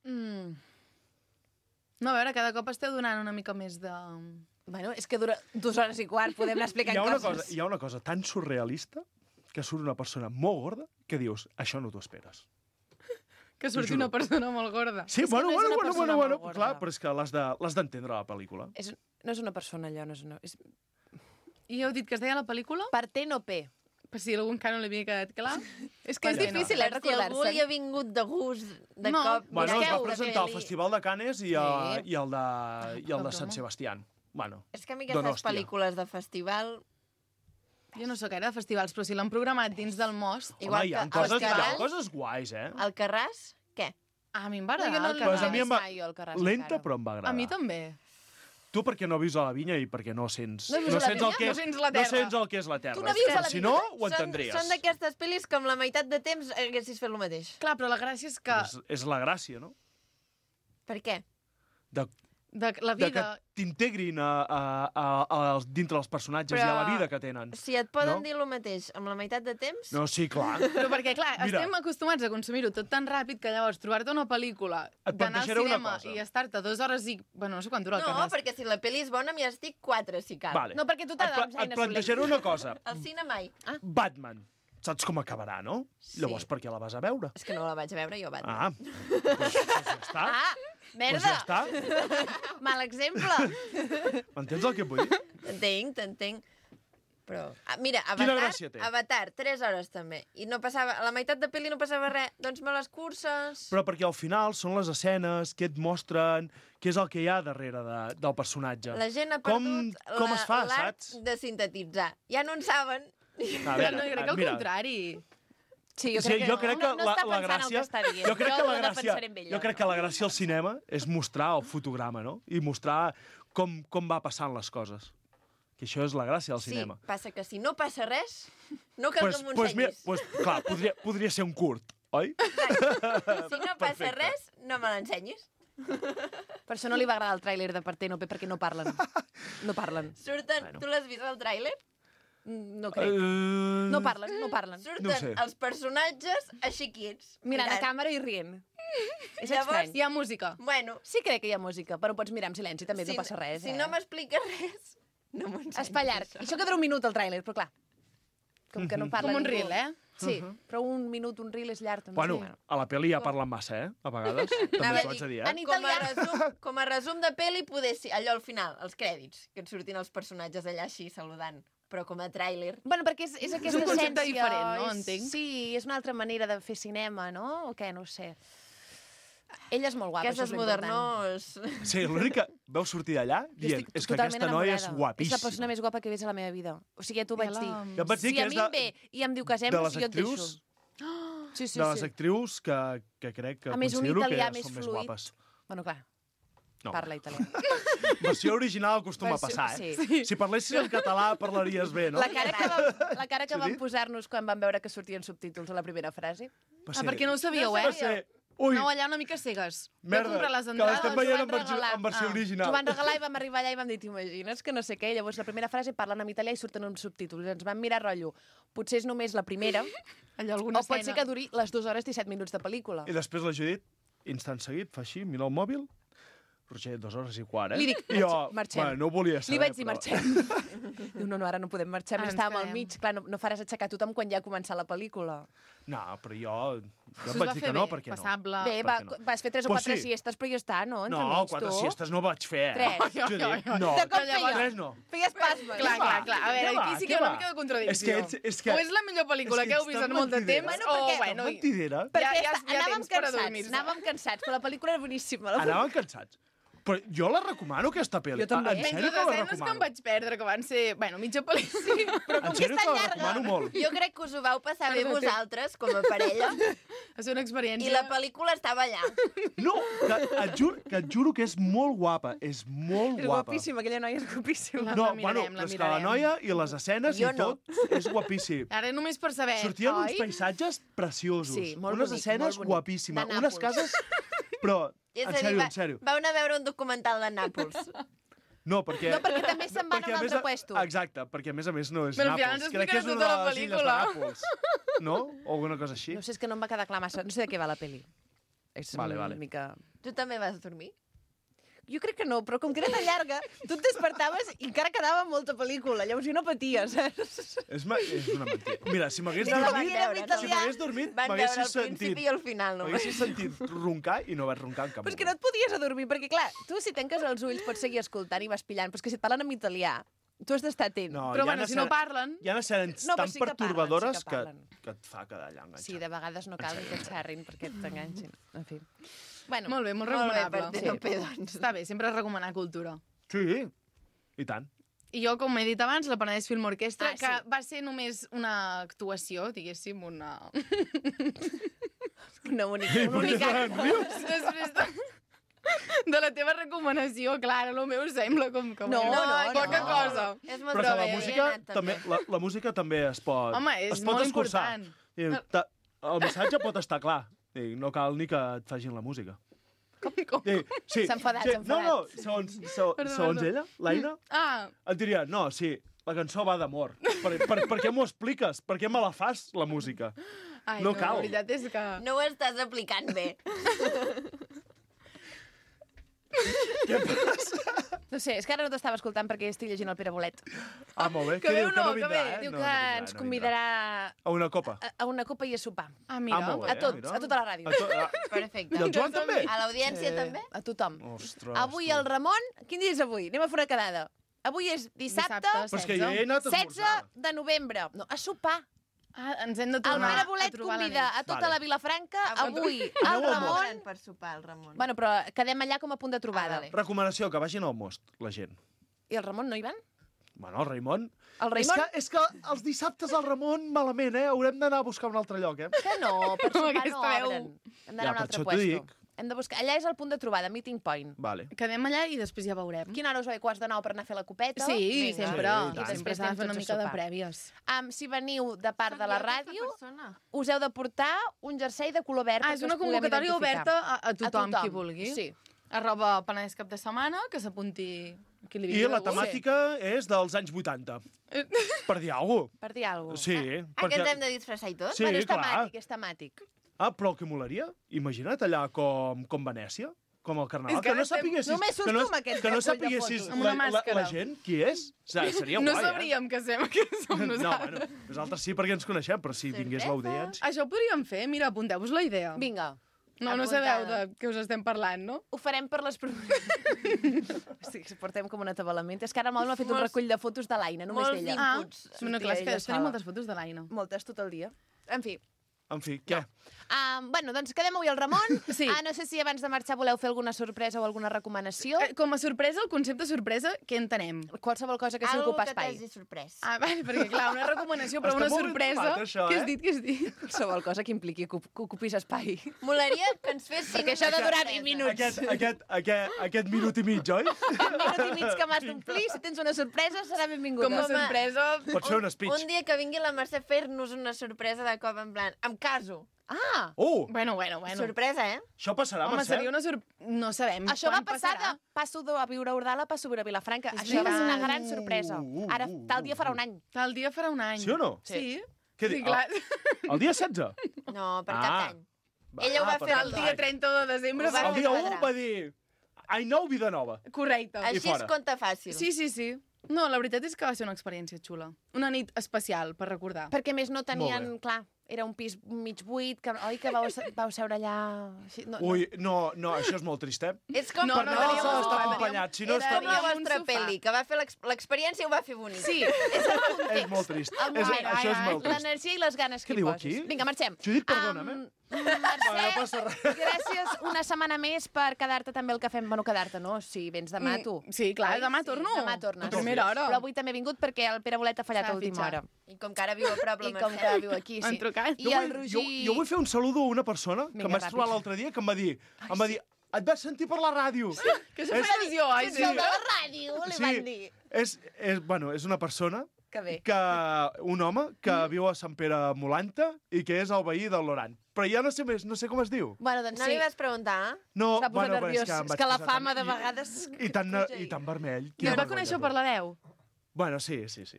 Mm. No, a veure, cada cop esteu donant una mica més de... Bueno, és que dura dues hores i quart, podem anar Hi explicant ha, una coses. cosa, hi ha una cosa tan surrealista que surt una persona molt gorda que dius, això no t'ho esperes. Que surti juro. una persona molt gorda. Sí, És que bueno, no és bueno, una bueno, persona bueno, bueno, molt gorda. clar, però és que l'has de- l'has d'entendre, la pel·lícula. És, no és una persona, allò, no és una... És... I heu dit que es deia la pel·lícula? Partènope. Per si algun que no li havia quedat clar. És que és Per què no? difícil, eh, Per si algú recordar-se. li ha vingut de gust, de No. cop... Bueno, es va mireu, presentar al pel·li. Festival de Canes i, a, Sí. i el de, i el de Broma. Sant Sebastián. Bueno, És que a mi aquestes Donòstia. pel·lícules de festival... Jo no sóc gaire de festivals, però si l'han programat dins del most... Igual home, hi ha, que coses, hi ha Alcarràs- coses guais, eh? Al Carràs, què? Ah, a mi em va agradar No, jo no el l'he Pues a Carràs. mi em va... mai, jo, el Carràs, Lenta, encara. però em va agradar. A mi també. Tu perquè no vius a la vinya i perquè no sents... No vius a la sents el vinya? que No és, sents la no terra. sents el que és la terra. Tu no vius a la Si vinya? no, ho Són, entendries. són d'aquestes pel·lis que amb la meitat de temps haguessis fet el mateix. Clar, però la gràcia és que És, és la gràcia, no? Per què? De, de la de que vida... t'integrin a, a, a, a, dintre dels personatges Però- i a la vida que tenen. Si et poden No? dir el mateix amb la meitat de temps... No, sí, clar. Però perquè, clar, Mira. estem acostumats a consumir-ho tot tan ràpid que llavors trobar-te una pel·lícula, Et d'anar al plantejaré una cinema cosa. i estar-te dues hores i... Bueno, no sé quant dura el No, Carràs. perquè si la pel·li és bona, m'hi estic quatre, si cal. Vale. No, perquè tu Et, t'agrada pla amb Jaina et plantejaré una cosa. Al cine mai. Ah, Batman. Saps com acabarà, no? Sí. Llavors, per què la vas a veure? és que no la vaig veure jo, Batman. Ah, doncs, doncs ja està. Ah, Doncs merda! ja està. Mal exemple. M'entens el que et vull dir? T'entenc, t'entenc. Però, ah, mira, Quina Avatar, gràcia té? Avatar, tres hores també. I no passava, a la meitat de pel·li no passava res. Doncs me les curses... Però perquè al final són les escenes que et mostren què és el que hi ha darrere de, del personatge. La gent ha com, perdut com la- es fa, l'art saps? de sintetitzar. Ja no en saben. A Però no, jo crec que al mira, contrari. Sí, jo sí, crec que, jo crec que no, no la, està la pensant el gràcia... que està dient. Jo crec que la no gràcia, defensaré amb ella. jo crec que la gràcia al cinema és mostrar el fotograma, no? I mostrar com, com va passant les coses. Que això és la gràcia del Sí, cinema. passa que si no passa res, no cal Pues, que m'ho pues, mira, ensenyis. pues, clar, podria, podria ser un curt, oi? Si no passa Perfecte. res, no me l'ensenyis. Per això no li va agradar el tràiler de Partenope, perquè no parlen. No parlen. Surten... Bueno. Tu l'has vist, el tràiler? Mm, No crec. Uh... No parlen, no parlen. Surten No ho sé. els personatges així quiets. Mirant a mirant. càmera i rient. És Llavors, estrany. Hi ha música. Bueno, Sí crec que hi ha música, però pots mirar en silenci, també si, no passa res, si eh? no m'expliques res, no m'ho ensenyis. Es fa llarg. Això que dura un minut, el tràiler, però clar. Com que no parla Com un ningú. reel, eh? Sí, però un minut, un reel és llarg, també. Bueno, Sí. a la pel·li ja parlen massa, eh? A vegades. També Anava t'ho a haig de dir, dir, en eh? Com a, italià. resum, com a resum de pel·li, poder ser allò al final, els crèdits, que et surtin els personatges allà així saludant. Però com a tràiler... Bueno, perquè és, és aquesta un concepte essència... diferent, no? és- Entenc. Sí, és una altra manera de fer cinema, no? O què? No ho sé. Ella és molt guapa, Aquestes això és l'important. modernós... Sí, l'únic que veu sortir d'allà Jo dient estic és que totalment aquesta noia és enamorada. És guapíssima. la persona més guapa que he vist a la meva vida. O sigui, ja t'ho vaig Ja la- dir. Ja et vaig dir si que a és mi de- em ve i em diu casem, de les jo et deixo. actrius, Sí, sí, de les sí. actrius que, que crec que A més, un considero que italià són més més fluid. guapes. Bueno, clar, No. parla italià. Versió original acostuma a Versió- passar, eh? sí. Si parlessis en català parlaries bé, no? La cara que vam, la cara que Sí, vam dit? posar-nos quan vam veure que sortien subtítols a la primera frase. Va Ah, ser- perquè no ho sabíeu, va eh? ser- Ui, No, allà una mica cegues. Vau merda, comprar les que entrades, l'estem ens veient van en versió, regalar. en versió Ah. original. Ens ho van regalar i vam arribar allà i vam dir, t'imagines que no sé què. Llavors la primera frase parlen en italià i surten uns subtítols. Ens vam mirar rotllo. Potser és només la primera, Allò, alguna o pot ser escena. que duri les dues hores disset minuts de pel·lícula. I després la Judit, instant seguit, fa així, mira el mòbil, Roger, dues hores i quart, eh? Li dic, I jo, marxem. bueno, no ho volia saber, Li vaig dir, però... marxem. Diu, no, no, ara no podem marxar, Ara més ens estàvem al quedem. mig. Clar, no, no faràs aixecar tothom quan ja ha començat la pel·lícula. No, però jo, jo Us em va vaig dir fer que no, bé, perquè no. passable. Bé, per va, què no? vas fer tres o Pues quatre sí. siestes, però ja està, no? Ens No, enmig, quatre tu. siestes no vaig fer, eh? Tres. Judit, no. De cop Llavors- feia. Tres no. Feies pasmes. Clar, Què va? clar, clar. A veure, Què va? aquí sí Què que hi ha una va? mica de contradicció. És que ets- és que- O és la millor pel·lícula és que que heu ets vist tan en molt de mentidera. temps, Bueno, o perquè- bueno... Tan mentidera. Perquè Ja- ja- ja, ja anàvem tens per cansats, adormir-se. anàvem cansats, però la pel·lícula era boníssima. La... Anaven cansats. Però jo la recomano, aquesta pel·li. Jo també. En Menys sèrio les que la escenes que em recomano. vaig perdre, que van ser, bueno, mitja pel·lícula. Sí, però En sèrio que la recomano molt. Jo crec que us ho vau passar bé Perdó, vosaltres, com a parella, va ser una experiència... i la pel·lícula estava allà. No, que et, juro, que et juro que és molt guapa. És molt És guapa. guapíssima, aquella noia és guapíssima. La- No, la bueno, mirarem, la és que la mirarem. noia i les escenes Jo i no. tot és guapíssim. Ara només per saber, Sortien uns oi? paisatges preciosos. Sí, molt unes bonic, escenes molt bonic. guapíssimes. De Unes Nàpols. cases... Però, És en a dir, sèrio, va- en sèrio. Vau anar a veure un documental de Nàpols. No, perquè... No, perquè també se'n van perquè, a un més altre puesto. Exacte, perquè a més a més no és Però al final Nàpols. ens Crec que és explicarà una tota de la les illes de pel·lícula. Nàpols. No? O alguna cosa així. No sé, és que no em va quedar clar massa. No sé de què va la pel·li. És Vale, una vale. mica... Tu també vas dormir? Jo crec que no, però com que era tan llarga, tu et despertaves i encara quedava molta pel·lícula. Llavors jo no patia, saps? És, ma... és una mentida. Mira, si m'hagués No la van dormit... veure, no? Si m'hagués dormit, Van veure m'haguessis el principi sentit... i el final, només. M'haguessis sentit roncar i no vaig roncar en cap Però és que no et podies adormir, perquè clar, tu si tanques els ulls pots seguir escoltant i vas pillant, però és que si et parlen en italià Tu has d'estar atent. No, Però hi ha bueno, si escena- no parlen... Hi ha escenes No, però tan sí que parlen, pertorbadores sí que que, parlen. que et fa quedar allà enganxat. Sí, de vegades no cal ni que et xerrin perquè t'enganxin. En fi. Bueno, Molt bé, molt Molt bé, recomanable. per T P, doncs. Està bé, sempre recomanar cultura. Sí, i tant. I jo, com he dit abans, la Penedès Film Orquestra, Ah, sí. que va ser només una actuació, diguéssim, una... una única... Un únic acte. Després de... de la teva recomanació, Clara, el meu sembla com que... No, bueno, no, poca no. cosa. És molt Però que la bé, música, he anat també, la, la música també es pot, Home, és es pot molt escurçar. important. I, ta, el missatge pot estar clar. I no cal ni que et facin la música. Com, com? I, sí, S'ha enfadat, sí, s'ha enfadat. No, no, segons, se, Perdó, segons perdó. ella, l'Aina, Ah, et diria, no, sí, la cançó va d'amor. Per, per, per què m'ho expliques? Per què me la fas, la música? ai, No no, cal. la veritat és que... No ho estàs aplicant bé. Què passa? No sé, és que ara no t'estava escoltant perquè estic llegint el Pere Bolet. Ah, molt bé. Que Què bé diu? o Que no, no que vindrà, bé. eh? Diu no, que no vindrà, ens no convidarà A una copa. a, a una copa i a sopar. Ah, mira. Ah, molt bé. A tots, mira. a tota la ràdio. A to a... Perfecte. I el Joan també? A l'audiència Sí. també? A tothom. Ostres, Avui tu. el Ramon... Quin dia és avui? Anem a fer una quedada. Avui és dissabte, Dissabte, Però és que jo he anat a setze esmorzar. de novembre. No, a sopar. Ah, ens hem de El tornar Pere a Bolet trobar la convida nit. a tota Vale. la Vilafranca. Ah, Avui el Aneu al Ramon... Ramon per sopar, el Ramon. Bueno, però quedem allà com a punt de trobada. Ah, vale. Recomanació, que vagin al most, la gent. I el Ramon no hi van? Bueno, el Raimon... El És Raimon? que, és que els dissabtes al Ramon, malament, eh? Haurem d'anar a buscar un altre lloc, eh? Que no, per sopar no Aquesta veu. obren. Hem d'anar Ja, a un per altre això t'ho puesto. dic. Hem de buscar... Allà és el punt de trobada, meeting point. Vale. Quedem allà i després ja veurem. Quina hora us ve? Quarts de nou per anar a fer la copeta? Sí, Vinga. sempre. Sí, i I tant. sempre Després s'ha de anem fer una tots a mica de sopar. prèvies. Um, si veniu de part de la Soc jo, aquesta ràdio, persona. us heu de portar un jersei de color verd Ah, perquè és una us puguem convocatòria identificar. oberta a, a, tothom, tothom, qui vulgui. sí. Arroba Penedès cap de setmana, que s'apunti qui li I vingui la de gust. temàtica és dels anys vuitanta. Per dir alguna cosa. Per dir alguna cosa. Sí, Ah, que ens hem de disfressar i tot? Sí, bueno, és clar. temàtic, és temàtic. Ah, però el que molaria? Imagina't allà com, com Venècia, com el Carnaval, És que que no estem- sapiguessis... només surts que no, tu amb aquest que no recull de sapiguessis fotos. Amb la, una la, la màscara. gent qui és. O sigui, seria No guai, sabríem que, sem, que som eh? No, nosaltres. bueno, nosaltres sí perquè ens coneixem, però si vingués Sorpresa. l'audiència... Això ho podríem fer. Mira, apunteu-vos la idea. Vinga, No, no apuntada. sabeu de què us estem parlant, no? ho farem per les... pro- Hosti, que portem com un atabalament. És que ara el Mòbil m'ha fet un Molts- recull de fotos de l'Aina, només molts d'ella. Ah, inputs. bueno, clar, és que ella tenim sola. moltes fotos de l'Aina. Moltes tot el dia. En fi, En fi, què? Um, bueno, doncs quedem avui al Ramon. Sí. Ah, no sé si abans de marxar voleu fer alguna sorpresa o alguna recomanació. Eh, Com a sorpresa, el concepte sorpresa, què entenem? Qualsevol cosa que sigui Algo ocupar que espai. t'hagi sorprès. Ah, vale, perquè clar, una recomanació, però Està una molt ben sorpresa... trobat, això, Què eh? has dit, què has dit? Qualsevol cosa que impliqui que ocup- que ocupis espai. Molaria que ens fessin... Perquè això ha de una durar sorpresa. vint minuts. Aquest, aquest, aquest, aquest minut i mig, oi? Un minut i mig que m'has d'omplir, si tens una sorpresa serà benvinguda. Com a Home, sorpresa... Pots fer un speech. Un dia que vingui la Mercè a fer-nos una sorpresa de cop, en plan, em caso. Ah! Oh, Bueno, bueno, bueno. Sorpresa, eh? això passarà, Home, Mercè? seria una sorpresa... No sabem Això va quan passar passarà. de passo de viure a Ordala, passo a viure a Vilafranca. És Això va ser una veritat. gran sorpresa. Uh, uh, Ara, uh, tal dia farà un any. Tal dia farà un any. Sí o no? Sí. Què sí, dic? clar. El dia setze? No, per Ah. cap d'any. Ella ho va fer El dia trenta de desembre. Ho va va El fer dia quadrar. u va dir... Ai, nou, vida nova. Correcte. Així fora. es compta fàcil. Sí, sí, sí. No, la veritat és que va ser una experiència xula. Una nit especial, per recordar. Perquè a més no tenien, Molt clar, era un pis mig buit, que, oi que vau, vau seure allà... Així, no, Ui, no, no, això és molt trist, eh? És com... No, Per no, Nadal teníem s'ha un d'estar sofà, acompanyat, si no És és com per... la Teníem un vostra sofà. pel·li, que va fer l'ex- l'experiència ho va fer bonic. Sí, és el context. És molt trist. El És, moment, això és ai, molt trist. l'energia i les ganes que Què hi diu poses. aquí? Vinga, marxem. Judit, perdona'm, eh? Um, Va, no Mercè, passa res. gràcies una setmana més per quedar-te també el que fem. Bueno, quedar-te, no? Si vens demà, tu. Mm, sí, clar, Oi? demà Sí, torno. Demà tornes. A primera hora. Però avui també he vingut perquè el Pere Bolet ha fallat S'ha a última fitxat. hora. I com que ara viu a prop la I com Mercè. que viu aquí, Han sí. trucat. I Jo el vull, Roger... jo, jo vull fer un saludo a una persona que Vinga, em vaig ràpid. trobar l'altre dia que em va dir... Em va dir, et vaig sentir per la ràdio. Que això fa il·lusió, ai, sí. El de la ràdio, li van dir. És, és, bueno, és una persona Que bé. que un home que viu a Sant Pere Molanta i que és el veí del Loran. Però ja no sé més, no sé com es diu. Bueno, doncs No sí. li vas preguntar, eh? No, S'ha posat però nerviós. és que, em És vaig que la posar fama tan- de vegades... I, i, tan, I tan vermell. I Quina us va vergonya, conèixer tu. per l'hereu. Bueno, sí, sí, sí.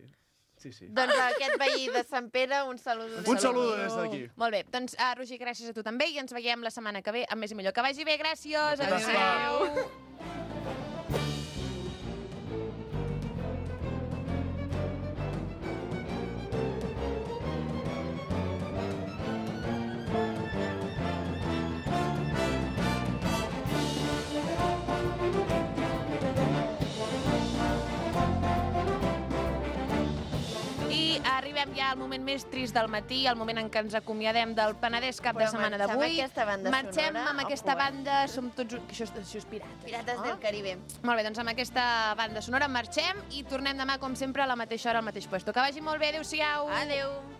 sí, sí. Doncs a aquest veí de Sant Pere, un saludo. Un saludo des d'aquí. Molt bé, doncs, uh, Roger, gràcies a tu també i ens veiem la setmana que ve amb més i millor. Que vagi bé, gràcies! Gràcies. Adéu! arribem ja al moment més trist del matí, el moment en què ens acomiadem del Penedès cap Però de setmana marxar amb d'avui. aquesta banda Marxem sonora, amb ojo, aquesta eh? banda, som tots... Això, és- això és pirata. Pirates no? del Caribe. Molt bé, doncs amb aquesta banda sonora marxem i tornem demà, com sempre, a la mateixa hora, al mateix puesto. Que vagi molt bé, adéu-siau! Adéu!